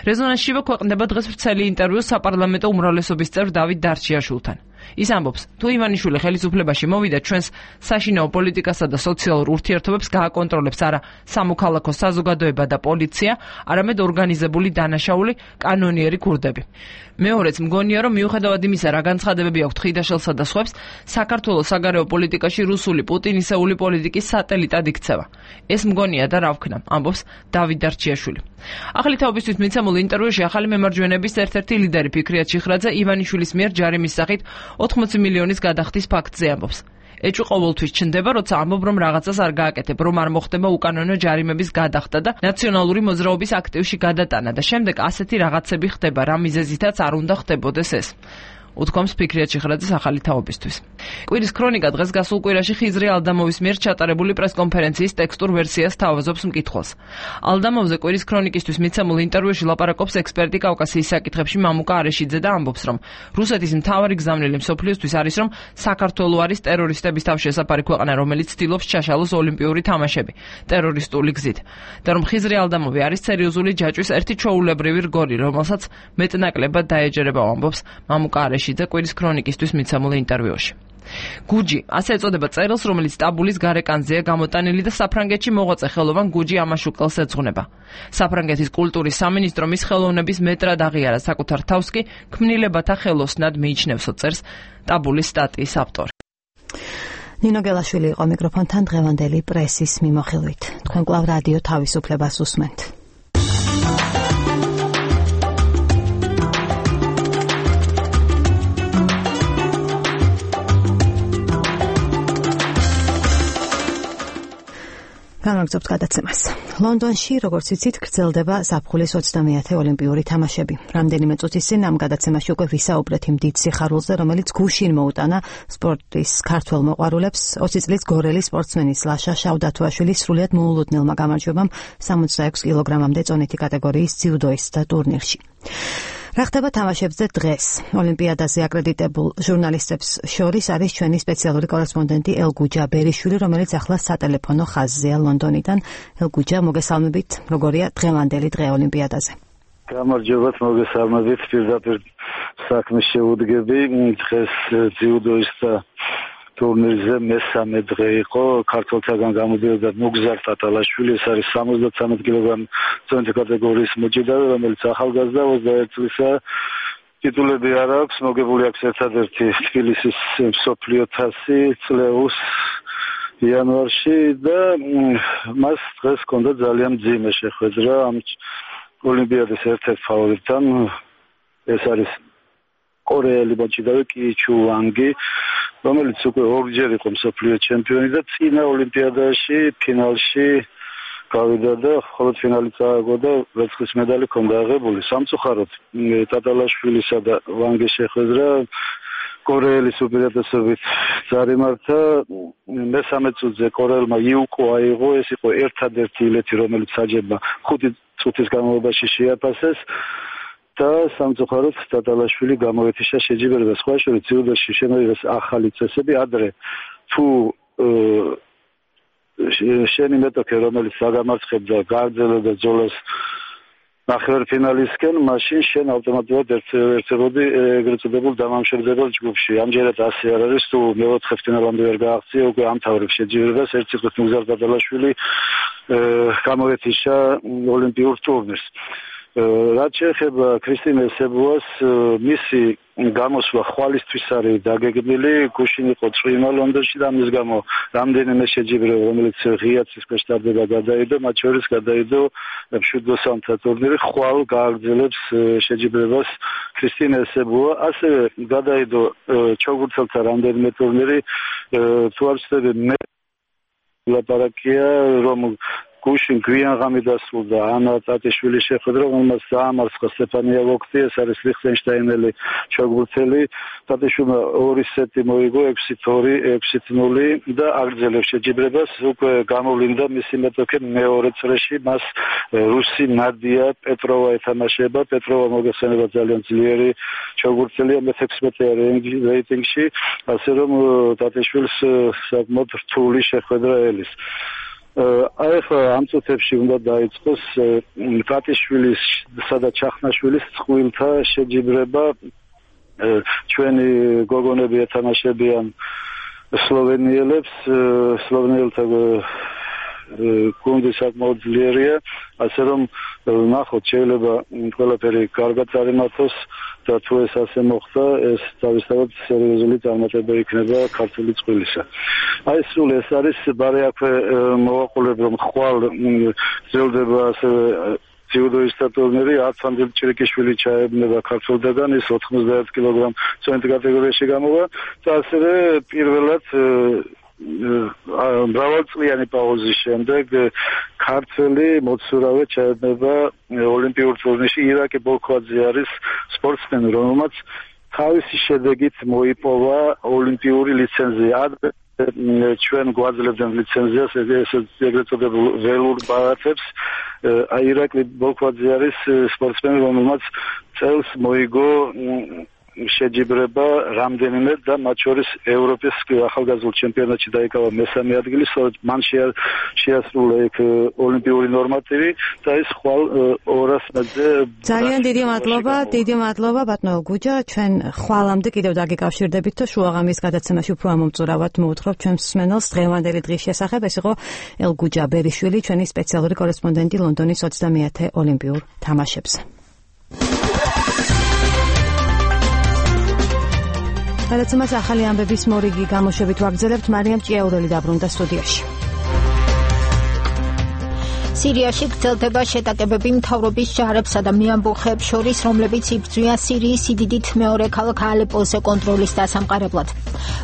რეზონანსშივე ქვეყნდება დღეს ვრცელი ინტერვიუ საპარლამენტო უმრავლესობის წევრ დავით დარჩიაშვილთან. ის ამბობს, თუ ივანიშვილი ხელისუფლებაში მოვიდა, ჩვენს საშინაო პოლიტიკასა და სოციალურ ურთიერთობებს გააკონტროლებს არა სამოქალაქო საზოგადოება და პოლიცია, არამედ ორგანიზებული დანაშაული კანონიერი ქურდები. მეორეც მგონია, რომ მიუხედავად იმისა, რა განცხადებები აქვთ ხიდაშელსა და სხვებს, საქართველოს საგარეო პოლიტიკაში რუსული პუტინისეული პოლიტიკის სატელიტად იქცევა. ეს მგონია და რა ვქნა, ამბობს დავით დარჩიაშვილი. ახალი თაობისთვის მიცემულ ინტერვიუში ახალი მემარჯვენეების ერთ-ერთი ლიდერი ფიქრია ჩიხრაძე ივანიშვილის მიერ ჯარიმის სახით 80 მილიონის გადახდის ფაქტზე ამბობს. ეჭვი ყოველთვის ჩნდება, როცა ამბობ, რომ რაღაცას არ გააკეთებ, რომ არ მოხდება უკანონო ჯარიმების გადახდა და ნაციონალური მოძრაობის აქტივში გადატანა და შემდეგ ასეთი რაღაცები ხდება, რა მიზეზითაც არ უნდა ხდებოდეს ეს. უთქვამს ფიქრია ჩიხრაძის ახალი თაობისთვის. კვირის ქრონიკა დღეს გასულ კვირაში ხიზრი ალდამოვის მიერ ჩატარებული პრესკონფერენციის ტექსტურ ვერსიას თავაზობს მკითხველს. ალდამოვზე კვირის ქრონიკისთვის მიცემულ ინტერვიუში ლაპარაკობს ექსპერტი კავკასიის საკითხებში მამუკა არეშიძე და ამბობს, რომ რუსეთის მთავარი გზავნილი მსოფლიოსთვის არის, რომ საქართველო არის ტერორისტების თავშესაფარი ქვეყანა, რომელიც ცდილობს ჩაშალოს ოლიმპიური თამაშები ტერორისტული გზით და რომ ხიზრი ალდამოვი არის სერიოზული ჯაჭვის ერთი ჩვეულებრივი რგოლი, რომელსაც მეტნაკლებად დაეჯერება, ამბობს მამუკა არეშიძე კვირის ქრონიკისთვის მიცემულ ინტერვიუში. გუჯი, ასე ეწოდება წერილს, რომელიც ტაბულის გარეკანზეა გამოტანილი და საფრანგეთში მოღვაწე ხელოვან გუჯი ამაშუკელს ეძღვნება. საფრანგეთის კულტურის სამინისტრო მის ხელოვნების მეტრად აღიარა, საკუთარ თავს კი ქმნილებათა ხელოსნად მიიჩნევსო, წერს ტაბულის სტატიის ავტორი. ნინო გელაშვილი იყო მიკროფონთან დღევანდელი პრესის მიმოხილვით. თქვენ კვლავ რადიო თავისუფლებას უსმენთ. განაგზობთ გადაცემას. ლონდონში, როგორც იცით, გრძელდება ზაფხულის 30-ე ოლიმპიური თამაშები. რამდენიმე წუთის წინ ამ გადაცემაში უკვე ვისაუბრეთ იმ დიდ სიხარულზე, რომელიც გუშინ მოუტანა სპორტის ქართველ მოყვარულებს 20 წლის გორელი სპორტსმენის ლაშა შავდათუაშვილის სრულიად მოულოდნელმა გამარჯვებამ 66 კილოგრამამდე წონითი კატეგორიის ძიუდოისტთა ტურნირში. რა ხდება თამაშებზე დღეს? ოლიმპიადაზე აკრედიტებულ ჟურნალისტებს შორის არის ჩვენი სპეციალური კორესპონდენტი ელგუჯა ბერიშვილი, რომელიც ახლა სატელეფონო ხაზზეა ლონდონიდან. ელგუჯა, მოგესალმებით. როგორია დღევანდელი დღე ოლიმპიადაზე? გამარჯობათ, მოგესალმებით. პირდაპირ საქმის შეუდგები. დღეს ძიუდოისტთა ტურნირზე მესამე დღე იყო. ქართველთაგან გამოდიოდა ნუგზარ ტატალაშვილი, ეს არის 73 კილოგრამ წონითი კატეგორიის მოჭიდავე, რომელიც ახალგაზრდა 21 წლისა. ტიტულები არ აქვს, მოგებული აქვს ერთადერთი თბილისის მსოფლიო თასი წლეუს იანვარში და მას დღეს ჰქონდა ძალიან მძიმე შეხვედრა ამ ოლიმპიადის ერთ-ერთ ფავორიტთან. ეს არის კორეელი მოჭიდავე კი ჩუ ვანგი, რომელიც უკვე ორჯერ იყო მსოფლიო ჩემპიონი და წინა ოლიმპიადაში ფინალში გავიდა და მხოლოდ ფინალი წააგო და ვერცხლის მედალი ჰქონდა აღებული. სამწუხაროდ ტატალაშვილისა და ვანგის შეხვედრა კორეელის უპირატესობით წარიმართა. მესამე წუთზე კორეელმა იუკო აიღო, ეს იყო ერთადერთი ილეთი, რომელიც საჯებმა 5 წუთის განმავლობაში შეაფასეს. და სამწუხაროდ ტატალაშვილი გამოეთიშა შეჯიბრებას. სხვა შორის ძიუდოში შემოიღეს ახალი წესები. ადრე თუ შენი მეტოქე, რომელიც აგამარცხებდა, გააგრძელებდა ბრძოლას ნახევარფინალისკენ, მაშინ შენ ავტომატურად ერთებოდი ეგრეთ წოდებულ დამამშვიდებელ ჯგუფში. ამჯერად ასე არ არის, თუ მეოთხე ფინალამდე ვერ გააღწია, უკვე ამთავრებს შეჯიბრებას. ერთ სიტყვით ნუგზარ ტატალაშვილი გამოეთიშა ოლიმპიურ ტურნირს. რაც შეეხება ქრისტინე სებუას, მისი გამოსვლა ხვალისთვის არის დაგეგმილი. გუშინ იყო წვიმა ლონდონში და ამის გამო რამდენიმე შეჯიბრება, რომელიც ღია ცისკენ შტარდება, გადაიდო, მათ შორის გადაიდო მშვიდოსანთა ტურნირი. ხვალ გააგრძელებს შეჯიბრებას ქრისტინე სებუა. ასევე გადაიდო ჩოგურთელთა რამდენიმე ტურნირი. თუ არ ვცდები, ლაპარაკია, რომ გუშინ გვიანღამი დასრულდა ანა ტატიშვილის შეხვედრა, რომელმაც დაამარცხა სტეფანია ვოქტი, ეს არის ლიხტენშტაინელი ჩოგბურთელი. ტატიშვილმა 2 სეტი მოიგო 6-2, 6-0 და აგრძელებს შეჯიბრებას. უკვე გამოვლინდა მისი მეტოქე მეორე წრეში, მას რუსი ნადია პეტროვა ეთამაშება. პეტროვა მოგეხსენება ძალიან ძლიერი ჩოგბურთელია, მე-16 რეიტინგში, ასე რომ ტატიშვილს საკმაოდ რთული შეხვედრა ელის. აი ხა ამ წუთებში უნდა დაიწყოს ტატიშვილისა და ჩახნაშვილის წყვილთა შეჯიბრება. ჩვენი გოგონები ეთამაშებიან სლოვენიელებს, სლოვენიელთა გუნდი საკმაოდ ძლიერია, ასე რომ ნახოთ, შეიძლება ყველაფერი კარგად წარიმართოს და თუ ეს ასე მოხდა, ეს თავისთავად სერიოზული წარმატება იქნება ქართული წყვილისა. აი სულ ეს არის ბარე აქვე მოვაყოლებ, რომ ხვალ გრძელდება ასევე ძიუდოისტთა ტურნირი, ათამდე ჭირიკიშვილი ჩაებნება ქართველთაგან, ის 91 კილოგრამ წონით კატეგორიაში გამოვა და ასევე პირველად მრავალწლიანი პაუზის შემდეგ ქართველი მოცურავე ჩაებნება ოლიმპიურ ტურნირში. ირაკი ბოლქვაძე არის სპორტსმენი, რომელმაც თავისი შედეგით მოიპოვა ოლიმპიური ლიცენზია. ჩვენ გვაძლევდნენ ლიცენზიას, ეგრეთ წოდებულ ველურ ბარათებს. ირაკლი ბოლქვაძე არის სპორტსმენი, რომელმაც წელს მოიგო შეჯიბრება რამდენიმე და მათ შორის ევროპის ახალგაზრდულ ჩემპიონატში დაიკავა მესამე ადგილი, სწორედ მან შეასრულა იქ ოლიმპიური ნორმატივი და ის ხვალ 200 მეტრზე. ძალიან დიდი მადლობა ბატონო გუჯა, ჩვენ ხვალამდე კიდევ დაგიკავშირდებით და შუაღამის გადაცემაში უფრო ამომწურავად მოვთხრობ ჩვენს მსმენელს დღევანდელი დღის შესახებ. ეს იყო ელგუჯა ბერიშვილი, ჩვენი სპეციალური კორესპონდენტი ლონდონის 20-ე ოლიმპიურ თამაშებზე. გადაცემას ახალი ამბების მორიგი გამოშვებით ვაგრძელებთ. მარიამ ჭიაურელი დაბრუნდა სტუდიაში. სირიაში გრძელდება შეტაკებები მთავრობის ჯარებსა და მეამბოხეებს შორის, რომლებიც იბრძვიან სირიის სიდიდით მეორე ქალაქ ალეპოზე კონტროლის დასამყარებლად.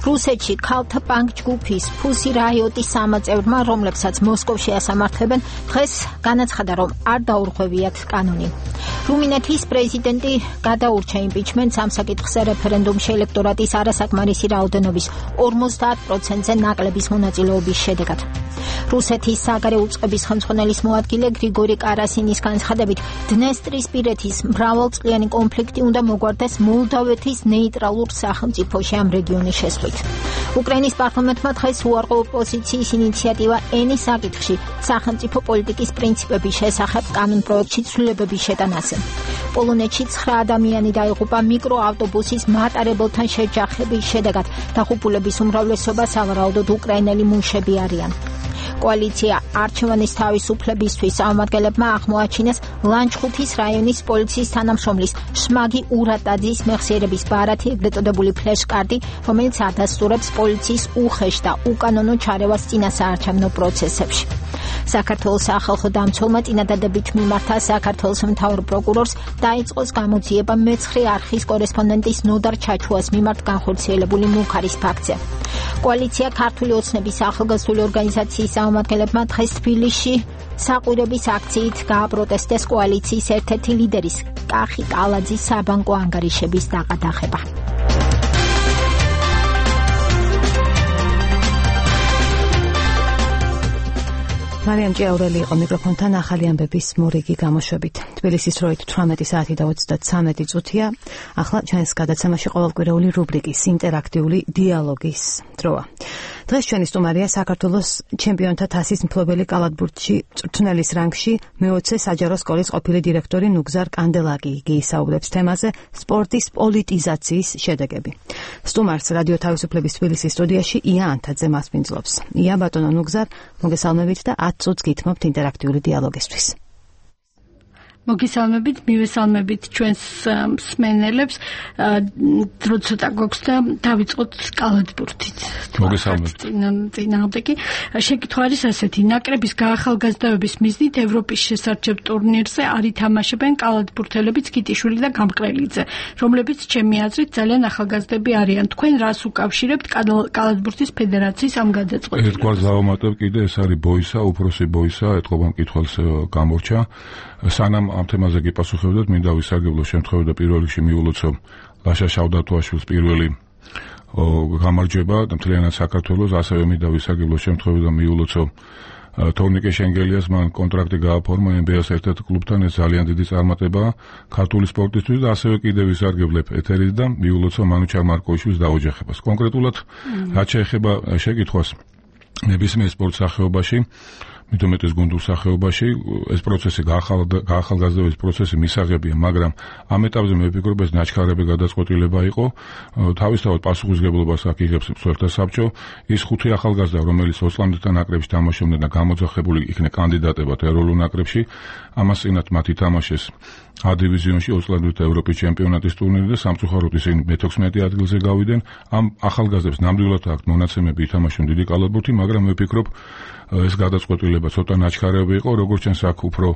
რუსეთში ქალთა პანკ ჯგუფის ფუსი რაიოტის სამაწევრმა, რომლებსაც მოსკოვში ასამართლებენ, დღეს განაცხადა, რომ არ დაურღვევიათ კანონი. რუმინეთის პრეზიდენტი გადაურჩა იმპიჩმენტს ამ საკითხზე რეფერენდუმში ელექტორატის არასაკმარისი რაოდენობის 50%-ზე ნაკლების მონაწილეობის შედეგად. რუსეთის საგარეო უწყების ხელმძღვანელის მოადგილე გრიგორი კარასინის განცხადებით, დნესტრისპირეთის მრავალწლიანი კონფლიქტი უნდა მოგვარდეს მოლდავეთის ნეიტრალურ სახელმწიფოში ამ რეგიონის შესვლით. უკრაინის პარლამენტმა დღეს უარყო ოპოზიციის ინიციატივა ენის საკითხში სახელმწიფო პოლიტიკის პრინციპების შესახებ კანონპროექტში ცვლილებების შეტანაზე. პოლონეთში 9 ადამიანი დაიღუპა მიკროავტობუსის მატარებელთან შეჯახების შედეგად. დაღუპულების უმრავლესობა სავარაუდოდ უკრაინელი მუშები არიან. კოალიცია არჩევანის თავისუფლებისთვის წარმომადგენლებმა აღმოაჩინეს ლანჩხუთის რაიონის პოლიციის თანამშრომლის შმაგი ურატაძის მეხსიერების ბარათი, ეგრეთ წოდებული ფლეშკარტი, რომელიც ადასტურებს პოლიციის უხეშ და უკანონო ჩარევას წინასაარჩევნო პროცესებში. საქართველოს სახალხო დამცველმა წინადადებით მიმართა საქართველოს მთავარ პროკურორს დაიწყოს გამოძიება მეცხრე არხის კორესპონდენტის ნოდარ ჩაჩუას მიმართ განხორციელებული მუქარის ფაქტზე. კოალიცია ქართული ოცნების ახალგაზრდული ორგანიზაციის წარმომადგენლებმა დღეს თბილისში საყვირების აქციით გააპროტესტეს კოალიციის ერთ-ერთი ლიდერის კახი კალაძის საბანკო ანგარიშების დაყადაღება. მარიამ ჭიაურელი იყო მიკროფონთან ახალი ამბების მორიგი გამოშვებით. თბილისის დროით 18 საათი და 33 წუთია. ახლა ჩვენს გადაცემაში ყოველკვირეული რუბრიკის ინტერაქტიული დიალოგის დროა. დღეს ჩვენი სტუმარია საქართველოს ჩემპიონთა თასის მფლობელი კალათბურთში წვრთნელის რანგში მე-20 საჯარო სკოლის ყოფილი დირექტორი ნუგზარ კანდელაკი. იგი ისაუბრებს თემაზე სპორტის პოლიტიზაციის შედეგები. სტუმარს რადიო თავისუფლების თბილისის სტუდიაში ია ანთაძე მასპინძლობს. ია ბატონო ნუგზარ, მოგესალმებით და 10 წუთს გითმობთ ინტერაქტიული დიალოგისთვის. მოგესალმებით, მივესალმებით ჩვენს მსმენელებს. დრო ცოტა გვაქვს და დავიწყოთ კალათბურთით. მოგესალმებით. წინააღმდეგი შეკითხვა არის ასეთი: ნაკრების გაახალგაზრდების მიზნით ევროპის შესარჩევ ტურნირზე არ ითამაშებენ კალათბურთელებიც კიტიშვილი და გამყრელიძე, რომლებიც ჩემი აზრით ძალიან ახალგაზრდები არიან. თქვენ რას უკავშირებთ კალათბურთის ფედერაციის ამ გადაწყვეტილებას? ერთგვარ დავამატებ კიდე, ეს არის ბოისა, უფროსი ბოისა, ეთყობა მკითხველს გამორჩა. სანამ ამ თემაზე გიპასუხებდეთ, მინდა ვისარგებლო შემთხვევით და პირველ რიგში მიულოცო ლაშა შავდათოაშვილის პირველი გამარჯვება და მთლიანად საქართველოს, ასევე მინდა ვისარგებლო შემთხვევით და მიულოცო თორნიკე შენგელიას, მან კონტრაქტი გააფორმა NBA-ს ერთ-ერთ კლუბთან, ეს ძალიან დიდი წარმატებაა ქართული სპორტისთვის და ასევე კიდევ ვისარგებლებ ეთერით და მიულოცო მანუჩარ მარკოვიშვილის დაოჯახებას. კონკრეტულად, რაც შეეხება შეკითხვას ნებისმიერ სპორტ სახეობაში, მithumetes გუნდურ სახეობაში, ეს პროცესი გაახალგაზრდების პროცესი მისაღებია, მაგრამ ამ ეტაპზე მე ვფიქრობ, ეს ნაჩქარები გადაწყვეტილება იყო. თავისთავად პასუხისმგებლობას აქ იღებს მსხვერპლთა საბჭო. ის 5 ახალგაზრდა, რომელიც ოსლანდთან ნაკრებში თამაშობდნენ და გამოძახებული იქნენ კანდიდატებად ეროვნულ ნაკრებში, ამას წინათ მათ ითამაშეს A დივიზიონში ოსლანდთა ევროპის ჩემპიონატის ტურნირი და სამწუხაროდ ისინი მე-16 ადგილზე გავიდნენ. ამ ახალგაზრდებს ნამდვილად აქვთ მონაცემები ითამაშონ დიდი კალათბურთი, მაგრამ მე ვფიქრობ, ეს გადაწყვეტილება ცოტა ნაჩქარები იყო, როგორც ჩანს აქ უფრო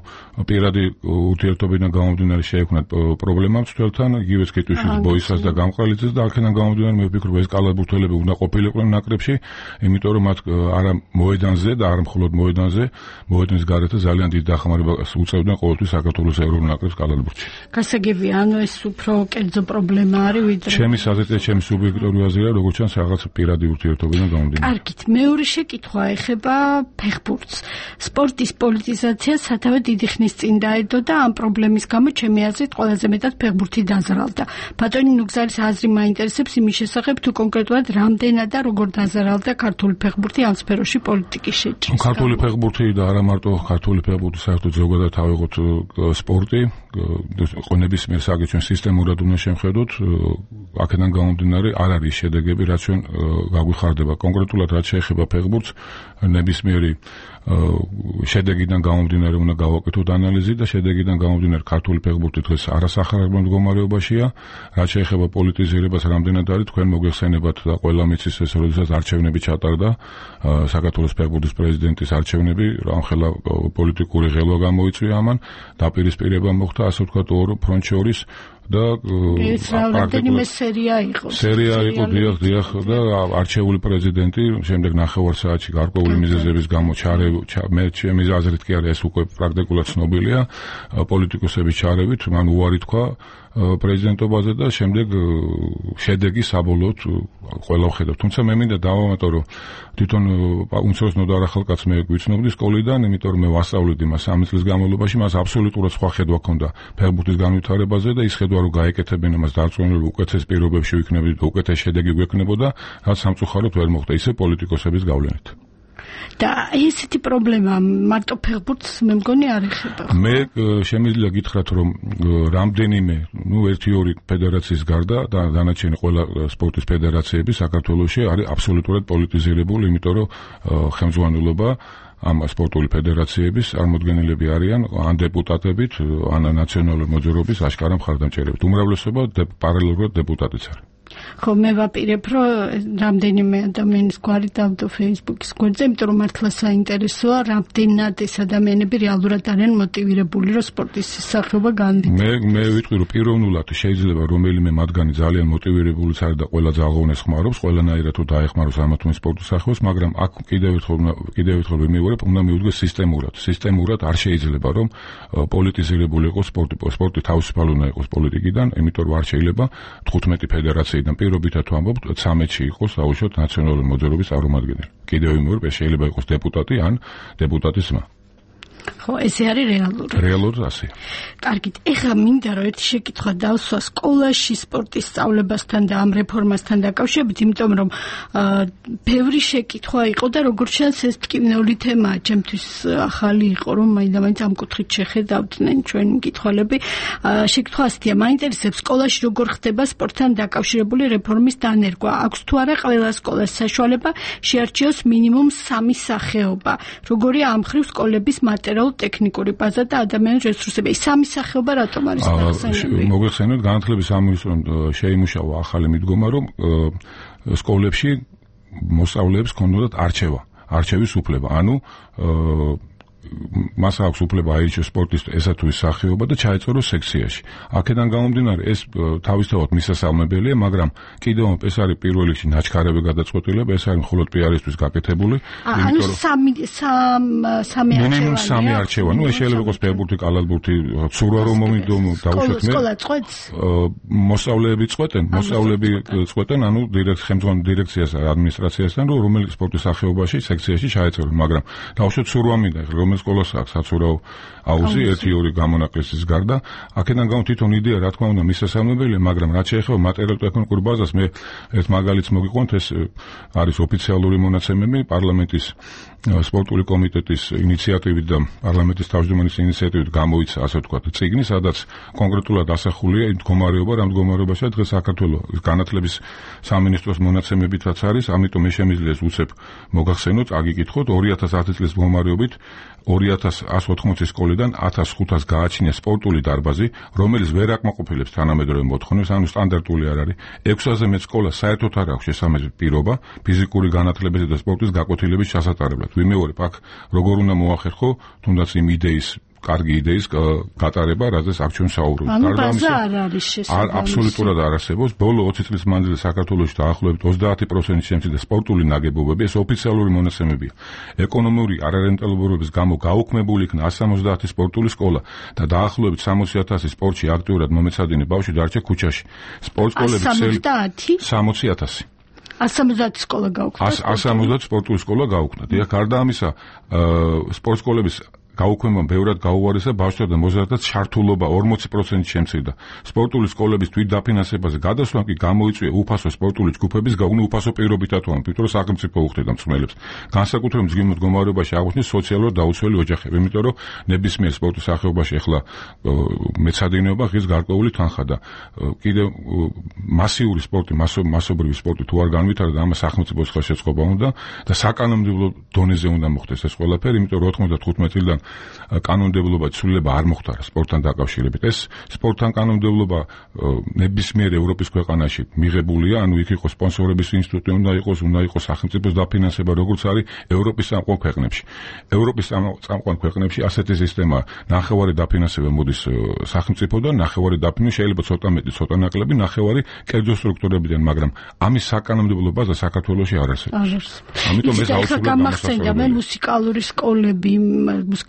პირადი ურთიერთობიდან გამომდინარე შეექმნათ პრობლემა მცველთან, იგივე კიტიშვილის ბოისას და გამყრელიძეს და აქედან გამომდინარე მე ვფიქრობ, ეს კალათბურთელები უნდა ყოფილიყვნენ ნაკრებში, იმიტომ რომ მათ არა მოედანზე და არა მხოლოდ მოედანზე, მოედნის გარეთ ძალიან დიდ დახმარებას უწევდნენ ყოველთვის საქართველოს ეროვნულ ნაკრებს კალათბურთში. გასაგებია, ანუ ეს უფრო კერძო პრობლემა არის ვიდრე ჩემი აზრით, ჩემი სუბიექტიური აზრია, როგორც ჩანს რაღაც პირადი ურთიერთობიდან გამომდინარე. კარგით, მეორე შეკითხვა ეხება ფეხბურთს. სპორტის პოლიტიზაცია სათავე დიდი ხნის წინ დაედო და ამ პრობლემის გამო ჩემი აზრით ყველაზე მეტად ფეხბურთი დაზარალდა. ბატონი ნუგზარის აზრი მაინტერესებს იმის შესახებ, თუ კონკრეტულად რამდენად და როგორ დაზარალდა ქართული ფეხბურთი ამ სფეროში პოლიტიკის შეჭრის. ქართული ფეხბურთი და არა მარტო ქართული ფეხბურთი, საერთოდ ზოგადად ავიღოთ სპორტი, ნებისმიერ საკითხს სისტემურად უნდა შევხედოთ. აქედან გამომდინარე არ არის შედეგები, რაც ჩვენ გაგვიხარდება. კონკრეტულად რაც შეეხება ფეხბურთს, ნებისმიერი შედეგიდან გამომდინარე უნდა გავაკეთოთ ანალიზი და შედეგიდან გამომდინარე ქართული ფეხბურთი დღეს არასახარებულ მდგომარეობაშია. რაც შეეხება პოლიტიზირებას, რამდენად არის თქვენ მოგეხსენებათ და ყველა მიცის ეს, როდესაც არჩევნები ჩატარდა, საქართველოს ფეხბურთის პრეზიდენტის არჩევნები, ამხელა პოლიტიკური ღელვა გამოიწვია ამან, დაპირისპირება მოხდა, ასე ვთქვათ, ორ ფრონტ შორის და პრაქტიკულად სერია იყო, დიახ და არჩეული პრეზიდენტი შემდეგ ნახევარ საათში გარკვეული მიზეზების გამო მე ჩემი აზრით კი არა, ეს უკვე პრაქტიკულად ცნობილია, პოლიტიკოსების ჩარევით მან უარი თქვა პრეზიდენტობაზე და შემდეგ შედეგი საბოლოოდ ყველა ვხედავთ. თუმცა მე მინდა დავამატო, რომ თვითონ უმცროს ნოდარ ახალკაც მე გვიცნობდი სკოლიდან, იმიტომ რომ მე ვასწავლედი მას 3 წლის განმავლობაში, მას აბსოლუტურად სხვა ხედვა ჰქონდა ფეხბურთის განვითარებაზე და ის ხედვა რომ გაეკეთებინა მას დარწმუნებული უკეთეს პირობებში ვიქნებოდი და უკეთეს შედეგი გვექნებოდა, რაც სამწუხაროდ ვერ მოხდა ისე პოლიტიკოსების გავლენით. და ესეთი პრობლემა მარტო ფეხბურთს მე მგონი არ ეხება. მე შემიძლია გითხრათ, რომ რამდენიმე, ერთი-ორი ფედერაციის გარდა და დანარჩენი ყველა სპორტის ფედერაციები საქართველოში არის აბსოლუტურად პოლიტიზირებული, იმიტომ რომ ხელმძღვანელობა ამ სპორტული ფედერაციების წარმოდგენილები არიან ან დეპუტატებით, ან ნაციონალური მოძრაობის აშკარა მხარდამჭერებით. უმრავლესობა პარალელურად დეპუტატიც არის. ხო, მე ვაპირებ, რომ რამდენიმე ადამიანის გვარი დავდო Facebook-ის გვერდზე, იმიტომ რომ მართლა საინტერესოა, რამდენად ეს ადამიანები რეალურად არიან მოტივირებული, რომ სპორტის სახეობა განვითარდეს. მე ვიტყვი, რომ პიროვნულად შეიძლება რომელიმე მათგანი ძალიან მოტივირებულიც არის და ყველა ძალღონეს ხმარობს, ყველანაირად თუ დაეხმაროს ამათმე სპორტის სახეობას, მაგრამ აქ კიდევ ერთხელ ვიმეორებ, უნდა მივუდგეს სისტემურად. სისტემურად არ შეიძლება, რომ პოლიტიზირებული იყოს სპორტი. სპორტი თავისუფალი უნდა იყოს პოლიტიკიდან, იმიტომ რომ არ შეიძლება 15 ფედერაცია და პირობითად ვამბობთ, 13-ში იყოს დაუშვათ ნაციონალური მოძრაობის წარმომადგენელი. კიდევ ვიმეორებ, შეიძლება იყოს დეპუტატი ან დეპუტატის ძმა. ხო, ესე არის რეალური. რეალურად ასე. კარგით, ეხლა მინდა რომ ერთი შეკითხვა დავსვა სკოლაში სპორტის სწავლებასთან და ამ რეფორმასთან დაკავშირებით, იმიტომ რომ ბევრი შეკითხვა იყო და როგორც ჩანს ეს ტკივნეული თემაა, ჩემთვის ახალი იყო, რომ მაინდა-მაინც ამ კუთხით შეხედავდნენ ჩვენი მკითხველები. შეკითხვა ასეთია, მაინტერესებს სკოლაში როგორ ხდება სპორტთან დაკავშირებული რეფორმის დანერგვა. აქვს თუ არა ყველა სკოლას საშუალება შეარჩიოს მინიმუმ 3 სახეობა. როგორია ამ ხრივ სკოლების მატერიალურ-ტექნიკური ბაზა და ადამიანური რესურსები. ეს სამი სახეობა რატომ არის გახსენებული? მოგეხსენოთ, განათლების სამინისტრომ შეიმუშავა ახალი მიდგომა, რომ სკოლებში მოსწავლეებს ჰქონდათ არჩევის უფლება. ანუ მას აქვს უფლება აირჩიოს სპორტის ესა თუ ის სახეობა და ჩაეწოროს სექციაში. აქედან გამომდინარე ეს თავისთავად მისასალმებელია, მაგრამ კიდევ ეს არის პირველ რიგში ნაჩქარები გადაწყვეტილება, ეს არის მხოლოდ პიარისთვის გაკეთებული. ანუ სამი არჩევა. ეს შეიძლება იყოს ფეხბურთი, კალათბურთი, ცურვა რომ დავუშვათ მე. სკოლა წყვეტს? მოსწავლეები წყვეტენ, ანუ ხელმძღვანელ დირექციას, ადმინისტრაციასთან, რომელი სპორტის სახეობაში სექციაში ჩაეწოროს, მაგრამ დავუშვათ ცურვა მინდა, რომელ სკოლას აქვს საცურაო აუზი 1-2 გამონაკლისის გარდა. აქედან გამო თვითონ იდეა რა თქმა უნდა მისასალმებელია, მაგრამ რაც შეეხება მატერიალურ-ტექნიკურ ბაზას, მე ერთ მაგალითს მოგიყვანთ, ეს არის ოფიციალური მონაცემები პარლამენტის სპორტული კომიტეტის ინიციატივით და პარლამენტის თავმჯდომარის ინიციატივით გამოიცა, ასე ვთქვათ, წიგნი, სადაც კონკრეტულად ასახულია იმ მდგომარეობა, რა მდგომარეობაშია დღეს საქართველოს განათლების სამინისტროს მონაცემებითაც არის, ამიტომ მე შემიძლია უცებ მოგახსენოთ, აგიკითხოთ 2010 წლის მდგომარეობით 2180 სკოლიდან 1500 გააჩნია სპორტული დარბაზი, რომელიც ვერ აკმაყოფილებს თანამედროვე მოთხოვნებს, ანუ სტანდარტული არ არის. 6000 მეტ სკოლას საერთოდ არ აქვს შესაბამისი პირობა ფიზიკური განათლებისა და სპორტის გაკვეთილების ჩასატარებლად. ვიმეორებ, აქ როგორ უნდა მოახერხო თუნდაც იმ კარგი იდეის გატარება, რაზეც აქ ჩვენ საუბრობთ. ანუ ბაზა არ არის შესაძლებელი. აბსოლუტურად არ არსებობს. ბოლო 20 წლის მანძილზე საქართველოში დაახლოებით 30% შემცირდა სპორტული ნაგებობები, ეს ოფიციალური მონაცემებია. ეკონომიური არარენტაბილურობის გამო გაუქმებული იქნა 170 სპორტული სკოლა და დაახლოებით 60,000 სპორტში აქტიურად მომეცადინე ბავშვი დარჩა ქუჩაში. სპორტსკოლების 60,000 170 სკოლა გაუქმდა. 170 სპორტული სკოლა გაუქმდა. დიახ, გარდა ამისა, სპორტსკოლების გაუქმებამ ბევრად გაუარესა ბავშვთა და მოზარდთა ჩართულობა 40% შემცირდა. სპორტული სკოლების თვითდაფინანსებაზე გადასვლამ კი გამოიწვია უფასო სპორტული ჯგუფების გაუქმება უფასო პირობითაც, იმიტომ რომ სახელმწიფო უხდიდა მსმენელებს. განსაკუთრებით მძიმე მდგომარეობაში აღმოჩნდა სოციალურად დაუცველი ოჯახები, იმიტომ რომ ნებისმიერ სპორტის სახეობაში ახლა მეცადინეობა ღირს გარკვეული თანხა და კიდევ მასიური სპორტი, მასობრივი სპორტი თუ არ განვითარდა, ამას სახელმწიფოს ხელშეწყობა უნდა და საკანონმდებლო დონეზე უნდა მოხდეს ეს ყველაფერი, იმიტომ რომ 95 წლიდან კანონმდებლობა ცვლილება არ მოხდარა სპორტთან დაკავშირებით. ეს სპორტთან კანონმდებლობა ნებისმიერ ევროპის ქვეყანაში მიღებულია, ანუ იქ იყოს სპონსორების ინსტიტუტი, უნდა იყოს სახელმწიფოს დაფინანსება, როგორც არის ევროპის წამყვან ქვეყნებში. ევროპის წამყვან ქვეყნებში ასეთი სისტემაა. ნახევარი დაფინანსება მოდის სახელმწიფოდან, ნახევარი დაფინანსება შეიძლება ცოტა მეტი, ცოტა ნაკლები, ნახევარი კერძო სტრუქტურებიდან, მაგრამ ამის საკანონმდებლო ბაზა საქართველოში არ არსებობს. ამიტომ ეს აუცილებლად გამახსენდა მე მუსიკალური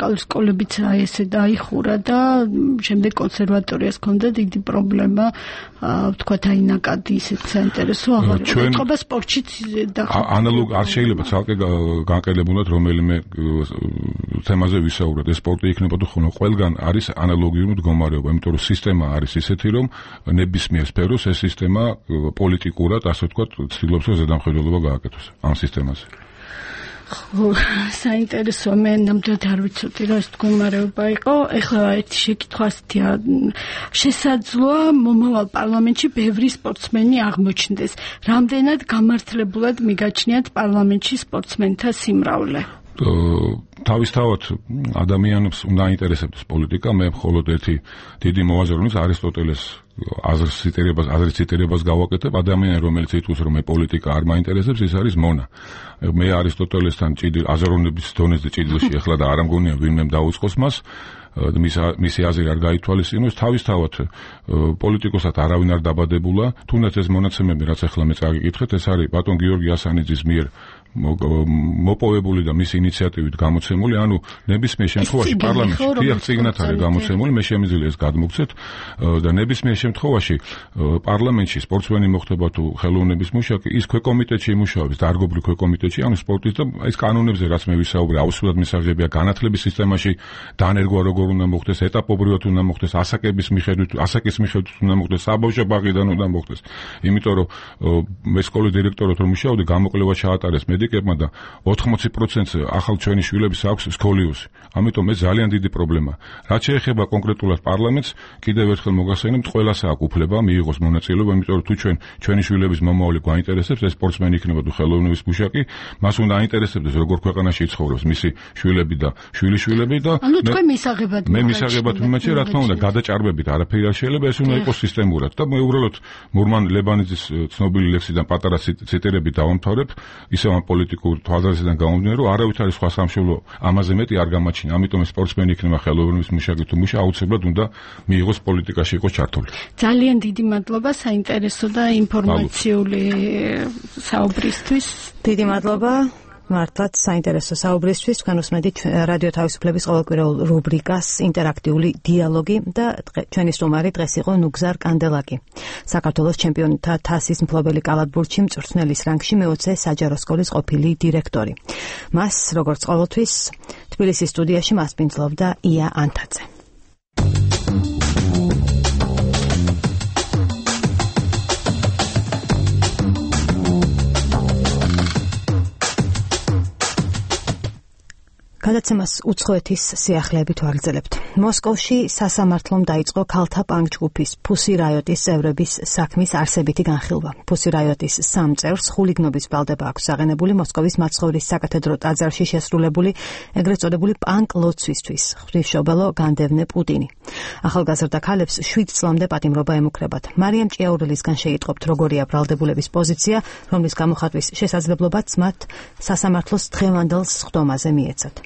სკოლებიც ესე დაიხურა და შემდეგ კონსერვატორიას ჰქონდა დიდი პრობლემა, ვთქვათ, აი ნაკადი ისეთ საინტერესო აღარ ეთყობა სპორტშიც და ანალოგ არ შეიძლება ცალკე განყელებულად რომელიმე თემაზე ვისაუბროთ. ეს სპორტი იქნება თუ ხო, ყველგან არის ანალოგიური მდგომარეობა, იმიტომ რომ სისტემა არის ისეთი, რომ ნებისმიერ სფეროს ეს სისტემა პოლიტიკურად, ასე ვთქვათ, ცდილობს რომ ზედამხედველობა გააკეთოს ამ სისტემაზე. საინტერესო, მე ნამდვილად არ ვიცოდი რა ეს მდგომარეობა იყო. ეხლა ერთი შეკითხვა ასეთია, შესაძლოა მომავალ პარლამენტში ბევრი სპორტსმენი აღმოჩნდეს. რამდენად გამართლებულად მიგაჩნიათ პარლამენტში სპორტსმენთა სიმრავლე? თავისთავად ადამიანებს უნდა აინტერესებდეს პოლიტიკა. მე მხოლოდ ერთი დიდი მოაზროვნების არისტოტელეს აზრის ციტირებას გავაკეთებ. ადამიანი, რომელიც იტყვის, რომ მე პოლიტიკა არ მაინტერესებს, ის არის მონა. მე არისტოტელესთან აზროვნების დონეზე ჭიდილში ახლა და არ ამგონია ვინმე დაუწყოს მას. მისი აზრი არ გაითვალისწინოს. თავისთავად პოლიტიკოსად არავინ არ დაბადებულა. თუნდაც ეს მონაცემები, რაც ახლა მე წაგიკითხეთ, ეს არის ბატონ გიორგი ასანიძის მიერ მოპოვებული და მისი ინიციატივით გამოცემული, ანუ ნებისმიერ შემთხვევაში პარლამენტში თიახ წიგნად არის გამოცემული, მე შემიძლია ეს გადმოგცეთ და ნებისმიერ შემთხვევაში პარლამენტში სპორტსმენი მოხდება თუ ხელოვნების მუშაკი, ის ქვეკომიტეტში იმუშავებს, დარგობრივ ქვეკომიტეტში, ანუ სპორტის და ეს კანონებზე, რაც მე ვისაუბრე, აუცილებლად მისაღებია განათლების სისტემაში დანერგვა როგორ უნდა მოხდეს, ეტაპობრივად უნდა მოხდეს, ასაკის მიხედვით უნდა მოხდეს, საბავშვო ბაღიდან უნდა მოხდეს. იმიტომ რომ მე სკოლის დირექტორად რომ მუშაობდი, გამოკვლევა ჩაატარეს მე მედიკებმა და 80%-ს ახალ ჩვენი შვილების აქვს სკოლიოზი. ამიტომ ეს ძალიან დიდი პრობლემაა. რაც შეეხება კონკრეტულად პარლამენტს, კიდევ ერთხელ მოგახსენებთ, ყველას აქვს უფლება მიიღოს მონაწილეობა, იმიტომ რომ თუ ჩვენი შვილების მომავალი გვაინტერესებს, ეს სპორტსმენი იქნება თუ ხელოვნების მუშაკი, მას უნდა აინტერესებდეს როგორ ქვეყანაში ცხოვრობს მისი შვილები და შვილიშვილები და მე მისაღებად მიმაჩი, რა თქმა უნდა, გადაჭარბებით არაფერი არ შეიძლება, ეს უნდა იყოს სისტემურად და მე უბრალოდ მურმან ლებანიძის ცნობილი ლექსიდან პატარა ციტერები დავამთავრებ, ისევ ამ პოლიტიკურ თვალსაზრისიდან გამომდინარე, რომ არავით არის სხვა სამშობლო ამაზე მეტი არ გამაჩნია. ამიტომ სპორტსმენი იქნება ხელოვნების მუშაკი თუ მუშა, აუცილებლად უნდა მიიღოს პოლიტიკაში იყოს ჩართული. ძალიან დიდი მადლობა საინტერესო და ინფორმაციული საუბრისთვის. დიდი მადლობა. მართლაც საინტერესო საუბრისთვის. თქვენ უსმენთ რადიო თავისუფლების ყოველკვირეულ რუბრიკას ინტერაქტიული დიალოგი და ჩვენი სტუმარი დღეს იყო ნუგზარ კანდელაკი. საქართველოს ჩემპიონთა თასის მფლობელი კალათბურთში მწვრთნელის რანგში მე-20 საჯარო სკოლის ყოფილი დირექტორი. მას, როგორც ყოველთვის, თბილისის სტუდიაში მასპინძლობდა ია ანთაძე. გადაცემას უცხოეთის სიახლეებით ვაგრძელებთ. მოსკოვში სასამართლომ დაიწყო ქალთა პანკ-ჯგუფის Pussy Riot-ის წევრების საქმის არსებითი განხილვა. Pussy Riot-ის 3 წევრს ხულიგნობის ბრალდება აქვს აღენებული მოსკოვის მაცხოვრის საკათედრო ტაძარში შესრულებული ეგრეთ წოდებული პანკ-ლოცვისთვის. ღვთისმშობელო განდევნე პუტინი. ახალგაზრდა ქალებს 7 წლამდე პატიმრობა ემუქრებათ. მარიამ ჭიაურელისგან შეიტყობთ, როგორია ბრალდებულების პოზიცია, რომლის გამოხატვის შესაძლებლობაც მათ სასამართლოს დღევანდელ სხდომაზე მიეცათ.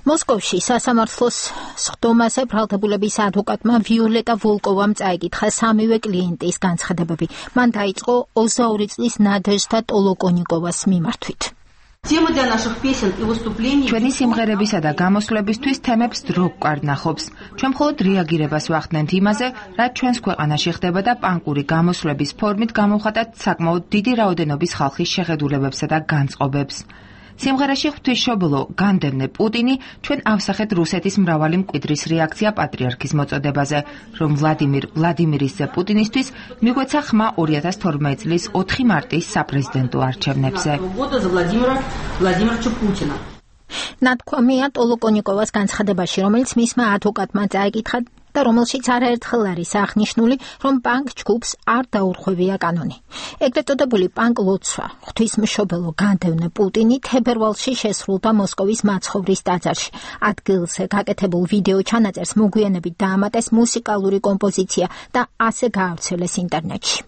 მოსკოვში სასამართლოს სხდომაზე ბრალდებულების ადვოკატმა ვიოლეტა ვოლკოვამ წაიკითხა სამივე კლიენტის განცხადებები. მან დაიწყო 22 წლის ნადეჟდა ტოლოკონიკოვას მიმართვით. ჩვენი სიმღერებისა და გამოსვლებისთვის თემებს დრო გვკარნახობს. ჩვენ მხოლოდ რეაგირებას ვახდენთ იმაზე, რაც ჩვენს ქვეყანაში ხდება და პანკური გამოსვლების ფორმით გამოვხატათ საკმაოდ დიდი რაოდენობის ხალხის შეხედულებებსა და განწყობებს. სიმღერაში ღვთისმშობელო განდევნე პუტინი ჩვენ ავსახეთ რუსეთის მრავალი მკვიდრის რეაქცია პატრიარქის მოწოდებაზე, რომ ვლადიმირის პუტინისთვის მიგვეცა ხმა 2012 წლის 4 მარტის საპრეზიდენტო არჩევნებზე. ნათქვამია ტოლოკონიკოვას განცხადებაში, რომელიც მისმა ადვოკატმა წაიკითხა და რომელშიც არაერთხელ არის აღნიშნული, რომ პანკ ჯგუფს არ დაურღვევია კანონი. ეგრეთ წოდებული პანკ ლოცვა ღვთისმშობელო განდევნე პუტინი თებერვალში შესრულდა მოსკოვის მაცხოვრის ტაძარში. ადგილზე გაკეთებულ ვიდეო ჩანაწერს მოგვიანებით დაამატეს მუსიკალური კომპოზიცია და ასე გაავრცელეს ინტერნეტში.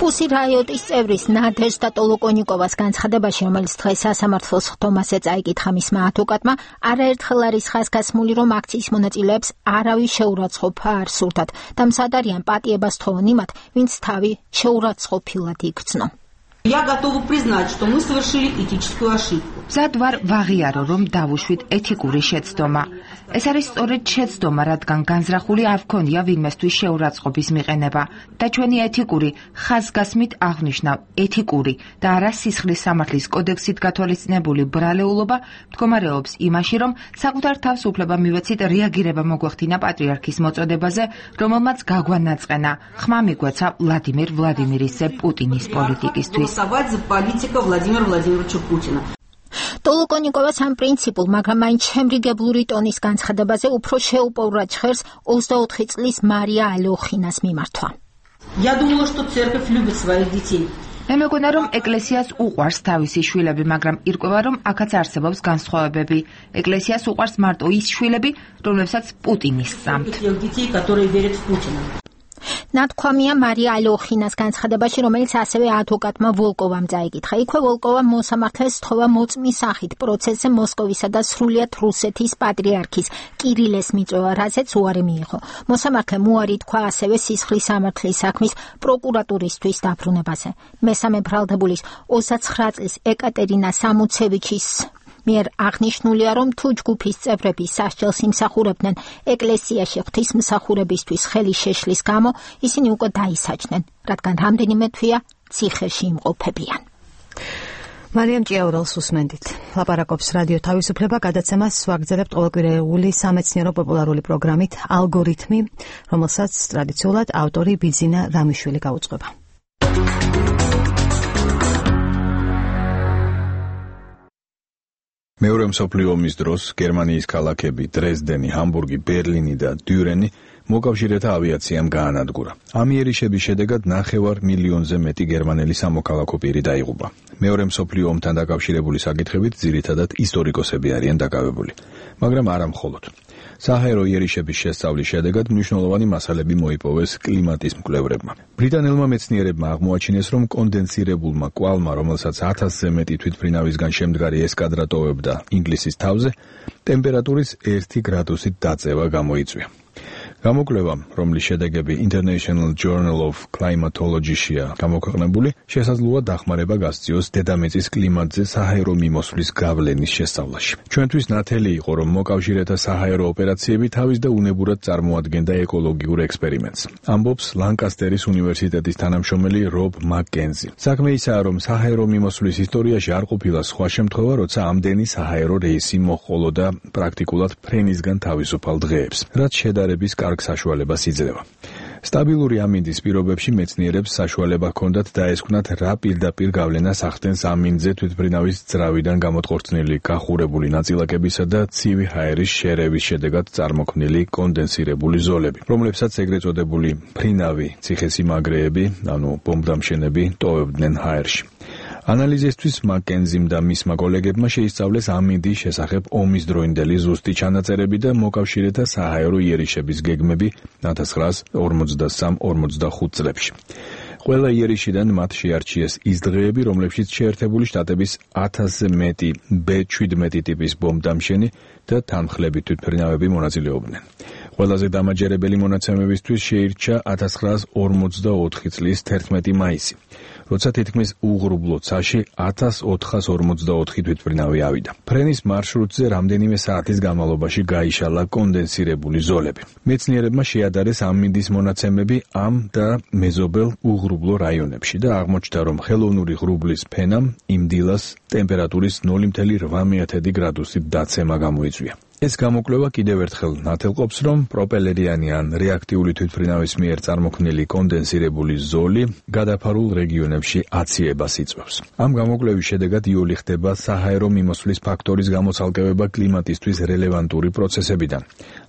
Pussy Riot-ის წევრის ნადეჟდა ტოლოკონიკოვას განცხადებაში, რომელიც დღეს სასამართლოს სხდომაზე წაიკითხა მისმა ადვოკატმა, არაერთხელ არის ხაზგასმული, რომ akcijas მონაწილეებს არავის შეურაცხყოფა არ სურდათ და მზად არიან პატიებას თხოვონ იმათ, ვინც თავი შეურაცხყოფილად იქცნო. Я готова признать, что мы совершили этическую ошибку. მზად ვარ ვაღიარო, რომ დავუშვით ეთიკური შეცდომა. ეს არის სწორედ შეცდომა, რადგან განზრახული არ ვქონია ვინმესთვის შეურაცხყოფის მიყენება და ჩვენი ეთიკური ხაზგასმით აღნიშნავ ეთიკური და არა სისხლის სამართლის კოდექსით გათვალისწინებული ბრალეულობა მდგომარეობს იმაში, რომ საკუთარ თავს უფლება მივეცით რეაგირება მოგვეხდინა პატრიარქის მოწოდებაზე, რომელმაც გაგვანაწყენა ხმა მიგვეცა ვლადიმირის პუტინის პოლიტიკისთვის. за политика Владимира Владимировича Путина. ტოლოკონიკოვას ამ პრინციპულ, მაგრამ მაინც შემრიგებლური ტონის განცხადებაზე უფრო შეუპოვრა ჭხერს 24 წლის მარია ალოხინას მიმართვა. Я думала, что церковь любит своих детей. მე მეგონა, რომ ეკლესიას უყვარს თავისი შვილები, მაგრამ ირკვევა, რომ აქაც არსებობს განსხვავებები. ეკლესიას უყვარს მარტო ის შვილები, რომლებსაც პუტინი სწამთ. детей, которые верят в Путина. ნათქვამია მარია ალოხინას განცხადებაში, რომელიც ასევე ადვოკატმა ვოლკოვამ წაიკითხა. იქვე ვოლკოვამ მოსამართლეს სთხოვა მოწმის სახით პროცესზე მოსკოვისა და სრულიად რუსეთის პატრიარქის კირილეს მიწვევა, რაზეც უარი მიიღო. მოსამართლემ უარი თქვა ასევე სისხლის სამართლის საქმის პროკურატურისთვის დაბრუნებაზე. მესამე ბრალდებულის 29 წლის ეკატერინა სამუცევიჩის მიერ აღნიშნულია, რომ თუ ჯგუფის წევრები სასჯელს იმსახურებდნენ ეკლესიაში ღვთისმსახურებისთვის ხელი შეშლის გამო, ისინი უკვე დაისაჯდნენ, რადგან რამდენიმე თვეა ციხეში იმყოფებიან. მარიამ ჭიაურელს უსმენდით. ლაპარაკობს რადიო თავისუფლება, გადაცემას ვაგრძელებთ ყოველკვირეული სამეცნიერო პოპულარული პროგრამით ალგორითმი, რომელსაც ტრადიციულად ავტორი ბიძინა რამიშვილი გაუძღვება. მეორე მსოფლიო ომის დროს გერმანიის ქალაქები დრეზდენი, ჰამბურგი, ბერლინი და დიურენი მოკავშირეთა ავიაციამ გაანადგურა. ამ იერიშების შედეგად 9 მილიონზე მეტი გერმანელი სამოქალაქო პირი დაიღუპა. მეორე მსოფლიო ომთან დაკავშირებული საკითხებით ძირითადად ისტორიკოსები არიან დაკავებული, მაგრამ არა მხოლოდ. საჰაერო იერიშების შესწავლის შედეგად მნიშვნელოვანი მასალები მოიპოვეს კლიმატის მკვლევრებმა. ბრიტანელმა მეცნიერებმა აღმოაჩინეს, რომ კონდენსირებულმა კვალმა, რომელსაც 1000-ზე მეტი თვითმფრინავისგან შემდგარი ესკადრა ტოვებდა ინგლისის თავზე, ტემპერატურის 1 გრადუსით დაწევა გამოიწვია. გამოკვლევამ, რომლის შედეგები International Journal of Climatology-შია გამოქვეყნებული, შესაძლოა დახმარება გასწიოს დედამიწის კლიმატზე საჰაერო მიმოსვლის გავლენის შესწავლაში. ჩვენთვის ნათელი იყო, რომ მოკავშირეთა საჰაერო ოპერაციები თავის და უნებურად წარმოადგენდა ეკოლოგიურ ექსპერიმენტს. ამბობს ლანკასტერის უნივერსიტეტის თანამშრომელი რობ მაკკენზი. საქმე ისაა, რომ საჰაერო მიმოსვლის ისტორიაში არ ყოფილა სხვა შემთხვევა, როცა ამდენი საჰაერო რეისი მოჰყოლოდა პრაქტიკულად ფრენისგან თავისუფალ დღეებს, რაც შედარების კარგ საშუალებას იძლევა. სტაბილური ამინდის პირობებში მეცნიერებს საშუალება ჰქონდათ დაესკვნათ, რა პირდაპირ გავლენას ახდენს ამინდზე თვითმფრინავის ძრავიდან გამოტყორწნილი გახურებული ნაწილაკებისა და ცივი ჰაერის შერევის შედეგად წარმოქმნილი კონდენსირებული ზოლები, რომლებსაც ეგრეთ წოდებული მფრინავი ციხესიმაგრეები, ანუ ბომბდამშენები ტოვებდნენ ჰაერში. ანალიზისთვის მაკკენზიმ და მისმა კოლეგებმა შეისწავლეს ამინდის შესახებ ომის დროინდელი ზუსტი ჩანაწერები და მოკავშირეთა საჰაერო იერიშების გეგმები 1943-45 წლებში. ყველა იერიშიდან მათ შეარჩიეს ის დღეები, რომლებშიც შეერთებული შტატების 1000-ზე მეტი B-17 ტიპის ბომბდამშენი და თანმხლები თვითმფრინავები მონაწილეობდნენ. ყველაზე დამაჯერებელი მონაცემებისთვის შეირჩა 1944 წლის 11 მაისი. როცა თითქმის უღრუბლო ცაში 1444 თვითმფრინავი ავიდა. ფრენის მარშრუტზე რამდენიმე საათის განმავლობაში გაიშალა კონდენსირებული ზოლები. მეცნიერებმა შეადარეს ამინდის მონაცემები ამ და მეზობელ უღრუბლო რაიონებში და აღმოჩნდა, რომ ხელოვნური ღრუბლის ფენამ იმ დილას ტემპერატურის 0.8 გრადუსით დაცემა გამოიწვია. ეს გამოკვლევა კიდევ ერთხელ ნათელყოფს, რომ პროპელერიანი ან რეაქტიული თვითმფრინავის მიერ წარმოქმნილი კონდენსირებული ზოლი გადაფარულ რეგიონებში აციებას იწვევს. ამ გამოკვლევის შედეგად იოლი ხდება საჰაერო მიმოსვლის ფაქტორის გამოცალკევება კლიმატისთვის რელევანტური პროცესებიდან,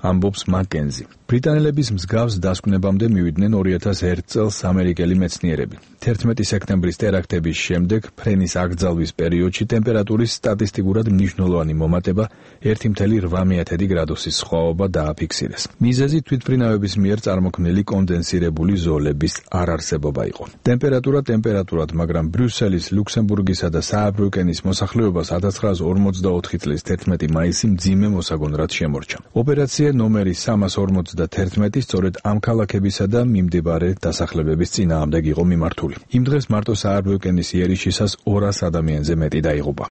ამბობს მაკკენზი. ბრიტანელების მსგავს დასკვნებამდე მივიდნენ 2001 წელს ამერიკელი მეცნიერები. 11 სექტემბრის ტერაქტების შემდეგ ფრენის აკრძალვის პერიოდში ტემპერატურის სტატისტიკურად მნიშვნელოვანი მომატება 1.8 გრადუსის სხვაობა დააფიქსირეს. მიზეზი თვითმფრინავების მიერ წარმოქმნილი კონდენსირებული ზოლების არარსებობა იყო. ტემპერატურად, მაგრამ ბრიუსელის, ლუქსემბურგისა და სააბრიუკენის მოსახლეობას 1944 წლის 11 მაისი მძიმე მოსაგონრად შემორჩა. ოპერაცია ნომერი 351 სწორედ ამ ქალაქებისა და მიმდებარე დასახლებების წინააღმდეგ იყო მიმართული. იმ დღეს მარტო სააბრიუკენის იერიშისას 200 ადამიანზე მეტი დაიღუპა.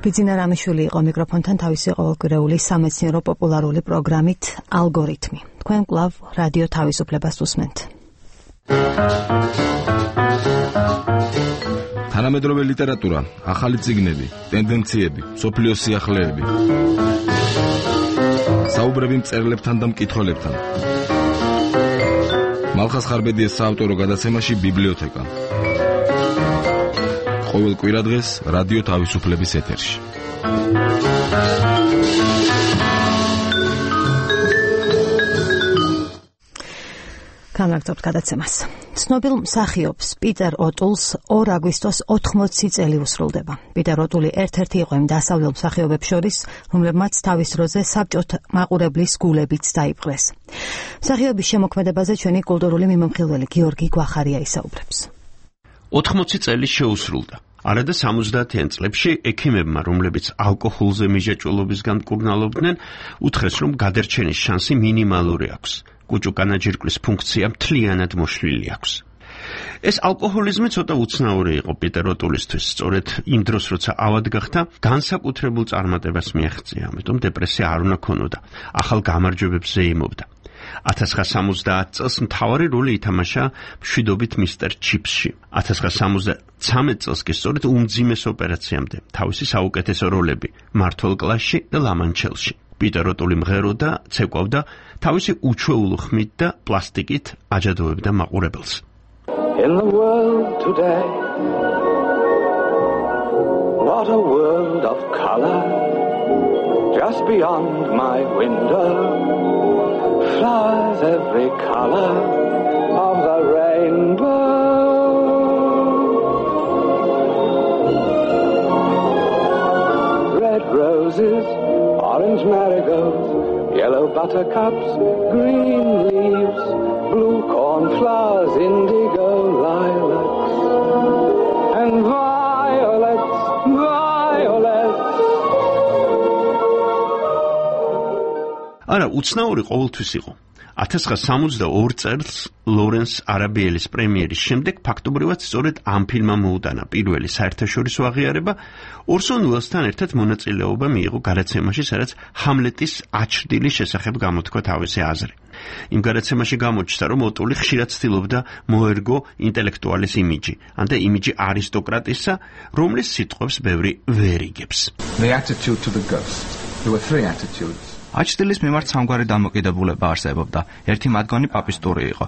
ბიძინა რამიშვილი იყო მიკროფონთან თავისი ყოველკვირეული სამეცნიერო პოპულარული პროგრამით ალგორითმი. თქვენ კვლავ რადიო თავისუფლებას უსმენთ. თანამედროვე ლიტერატურა, ახალი წიგნები, ტენდენციები, მსოფლიოს სიახლეები. საუბრები მწერლებთან და მკითხველებთან. მალხაზ ხარბედიეს საავტორო გადაცემაში ბიბლიოთეკა. ყოველ კვირადღეს რადიო თავისუფლების ეთერში. გამარჯობთ გადაცემას. ცნობილ მსახიობს პიტერ ოტულს 2 აგვისტოს 80 წელი უსრულდება. პიტერ ოტული ერთ-ერთი იყო იმ დასავლელ მსახიობებს შორის, რომლებმაც თავის დროზე საბჭოთა მაყურებლის გულებიც დაიპყრეს. მსახიობის შემოქმედებაზე ჩვენი კულტურული მიმოხილველი გიორგი გვახარია ისაუბრებს. 80 წელი შეუსრულდა. არადა 70-იან წლებში ექიმებმა, რომლებიც ალკოჰოლზე მიჯაჭვულობისგან მკურნალობდნენ, უთხრეს, რომ გადარჩენის შანსი მინიმალური აქვს. კუჭუკანაჯირკვლის ფუნქცია მთლიანად მოშლილი აქვს. ეს ალკოჰოლიზმი ცოტა უცნაური იყო პიტერ ოტულისთვის, სწორედ იმ დროს, როცა ავად გახდა, განსაკუთრებულ წარმატებას მიაღწია, ამიტომ დეპრესია არ უნდა ქონოდა, ახალ გამარჯვებებს ზეიმობდა. 1970 წელს მთავარი როლი ითამაშა მშვიდობით მისტერ ჩიპსში. 1973 წელს კი სწორედ უმძიმეს ოპერაციამდე თავისი საუკეთესო როლები მართლ კლასში და ლამანჩელში. პიტერ ოტული მღეროდა, ცეკვავდა, თავისი უჩვეულო ხმით და პლასტიკით აჯადოებდა მაყურებელს. In the world today, what a world of color, just beyond my window, flowers every color of the rainbow. Red roses, orange marigolds, yellow buttercups, green leaves, blue cornflowers, indigo lilacs, and violets, violets. არა, უცნაური ყოველთვის იყო. 1972 წელს ლორენს არაბიელის პრემიერის შემდეგ ფაქტობრივად სწორედ ამ ფილმმა მოუტანა პირველი საერთაშორისო აღიარება, ორსონ უელსთან ერთად მონაწილეობა მიიღო გადაცემაში, სადაც ჰამლეტის აჩრდილის შესახებ გამოთქვა თავისი აზრი. იმ გადაცემაში გამოჩნდა, რომ ოტული ხშირად ცდილობდა მოერგო ინტელექტუალის იმიჯი, ანდა იმიჯი არისტოკრატისა, რომლის სიტყვებს ბევრი ვერ იგებს. The attitude to the ghost. There were three attitudes. აჩრდილის მიმართ სამგვარი დამოკიდებულება არსებობდა. ერთი მათგანი პაპისტური იყო,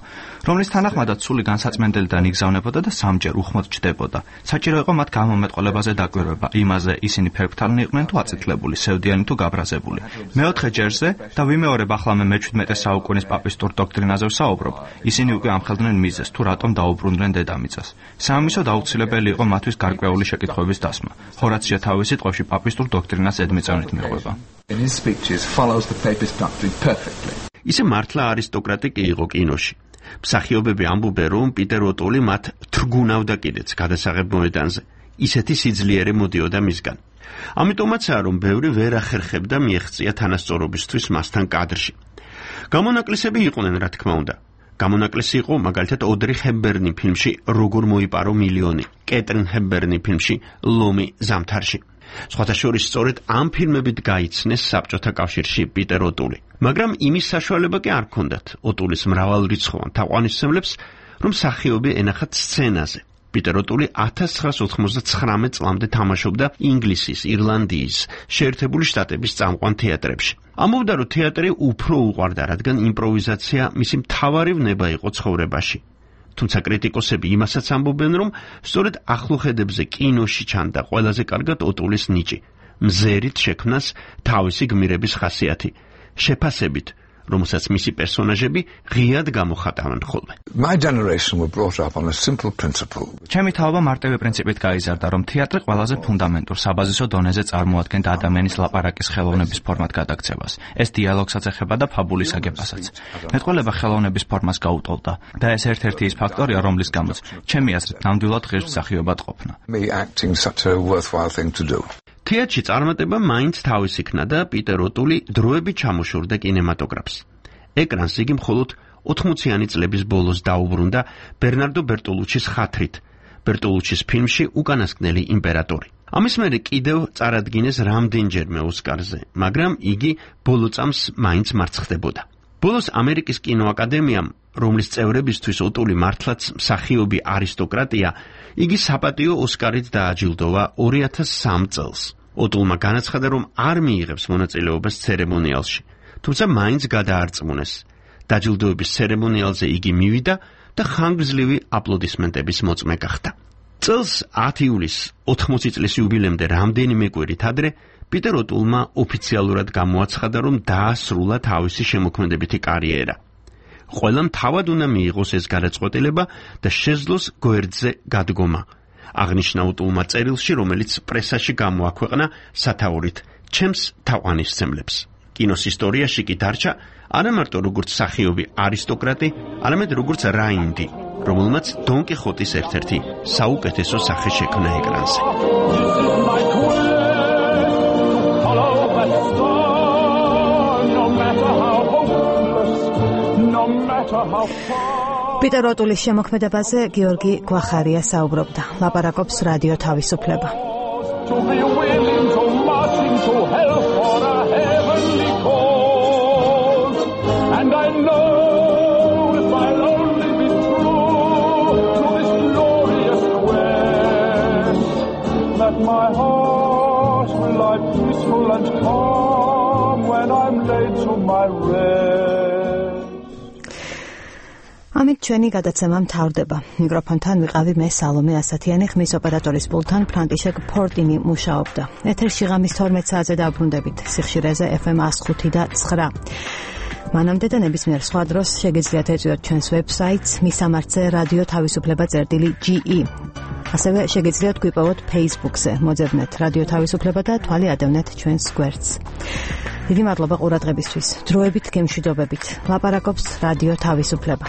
რომლის თანახმადაც სული განსაწმენდელიდან იგზავნებოდა და სამჯერ უხმოდ ჩდებოდა. საჭირო იყო მათ გამომეტყოლებაზე დაკვირვება, იმაზე ისინი ფერფთალნი იყვნენ თუ აწითლებული, სევდიანი თუ გაბრაზებული. მეოთხე ჯერზე და ვიმეორებ ახლა მე მე-17 საუკუნის პაპისტურ დოქტრინაზე ვსაუბრობ, ისინი უკვე ამხელდნენ მიზეზს თუ რატომ დაუბრუნდნენ დედამიწას. სამისოდ აუცილებელი იყო მათთვის გარკვეული შეკითხვების დასმა. ჰორაციო თავის სიტყვებში პაპისტურ დოქტრინას ედმიწევნით მიყვება. In his speeches follows the papist doctrine perfectly. ისე მართლა არისტოკრატი კი იყო კინოში. მსახიობები ამბობენ, რომ პიტერ ოტული მათ თრგუნავდა კიდეც გადასაღებ მოედანზე. ისეთი სიძლიერე მოდიოდა მისგან. ამიტომაცაა, რომ ბევრი ვერ ახერხებდა მიეღწია თანასწორობისთვის მასთან კადრში. გამონაკლისები იყვნენ, რა თქმა უნდა. გამონაკლისი იყო მაგალითად ოდრი ჰეპბერნი ფილმში როგორ მოიპარო მილიონი, კეტრინ ჰეპბერნი ფილმში ლომი ზამთარში. სხვათა შორის სწორედ ამ ფილმებით გაიცნეს საბჭოთა კავშირში პიტერ ოტული. მაგრამ იმის საშუალება კი არ ჰქონდათ ოტულის მრავალრიცხოვან თაყვანისმცემლებს, რომ მსახიობი ენახათ სცენაზე. პიტერ ოტული 1999 წლამდე თამაშობდა ინგლისის, ირლანდიის, შეერთებული შტატების წამყვან თეატრებში. ამბობდა, რომ თეატრი უფრო უყვარდა, რადგან იმპროვიზაცია მისი მთავარი ვნება იყო ცხოვრებაში. თუმცა კრიტიკოსები იმასაც ამბობენ, რომ სწორედ ახლოხედებზე კინოში ჩანდა ყველაზე კარგად ოტულის ნიჭი, მზერით შექმნას თავისი გმირების ხასიათი, შეფასებით, რომელსაც მისი პერსონაჟები ღიად გამოხატავენ ხოლმე. My generation were brought up on a simple principle. ჩემი თაობა მარტივი პრინციპით გაიზარდა, რომ თეატრი ყველაზე ფუნდამენტურ საბაზისო დონეზე წარმოადგენდა ადამიანის ლაპარაკის ხელოვნების ფორმად გადაქცევას. ეს დიალოგსაც ეხება და ფაბულის აგებასაც. მეტყველება ხელოვნების ფორმას გაუტოლდა და ეს ერთ-ერთი ის ფაქტორია, რომლის გამოც ჩემი აზრით ნამდვილად ღირს მსახიობად ყოფნა. Me acting such a worthwhile thing to do. თეატრში წარმატება მაინც თავის იქნა და პიტერ ოტული დროებით ჩამოშორდა კინემატოგრაფს. ეკრანს იგი მხოლოდ 80-იანი წლების ბოლოს დაუბრუნდა ბერნარდო ბერტოლუჩის ხათრით, ბერტოლუჩის ფილმში უკანასკნელი იმპერატორი. ამის მერე კიდევ წარადგინეს რამდენჯერმე ოსკარზე, მაგრამ იგი ბოლო წამს მაინც მარცხდებოდა. ბოლოს ამერიკის კინოაკადემიამ, რომლის წევრებისთვის ოტული მართლაც მსახიობი არისტოკრატია, იგი საპატიო ოსკარით დააჯილდოვა 2003 წელს. ოტულმა განაცხადა, რომ არ მიიღებს მონაწილეობას ცერემონიალში, თუმცა მაინც გადაარწმუნეს. დაჯილდოების ცერემონიალზე იგი მივიდა და ხანგრძლივი აპლოდისმენტების მოწმე გახდა. წელს 10 ივლისს 80 წლის იუბილემდე რამდენიმე კვირით ადრე პიტერ ოტულმა ოფიციალურად გამოაცხადა, რომ დაასრულა თავისი შემოქმედებითი კარიერა. ყველამ თავად უნდა მიიღოს ეს გადაწყვეტილება და შეძლოს გვერდზე გადგომა. აღნიშნა ოტულმა წერილში, რომელიც პრესაში გამოაქვეყნა სათაურით ჩემს თაყვანისმცემლებს. კინოს ისტორიაში კი დარჩა არა მარტო როგორც მსახიობი არისტოკრატი, არამედ როგორც რაინდი, რომელმაც დონ კიხოტის ერთ-ერთი საუკეთესო სახე შექმნა ეკრანზე. პიტერ ოტულის შემოქმედებაზე გიორგი გვახარია საუბრობდა. ლაპარაკობს რადიო თავისუფლება. To be willing to march into hell for a heavenly cause. And I know if I'll only be true to this glorious quest, that my heart will lie peaceful and calm when I'm laid to my rest. ამით ჩვენი გადაცემა მთავრდება. მიკროფონთან ვიყავი მე სალომე ასათიანი, ხმის ოპერატორის პულტთან ფრანტიშეკ ფორტინი მუშაობდა. ეთერში ღამის 12 საათზე დაბრუნდებით. სიხშირეზე FM 105.9. მანამდე და ნებისმიერ სხვა დროს შეგიძლიათ ეწვიოთ ჩვენს ვებსაიტს მისამართზე რადიო თავისუფლება.ge. ასევე შეგიძლიათ გვიპოვოთ Facebook-ზე, მოძებნეთ რადიო თავისუფლება და თვალი ადევნეთ ჩვენს გვერდს. დიდი მადლობა ყურადღებისთვის. დროებით გემშვიდობებით. ლაპარაკობს რადიო თავისუფლება.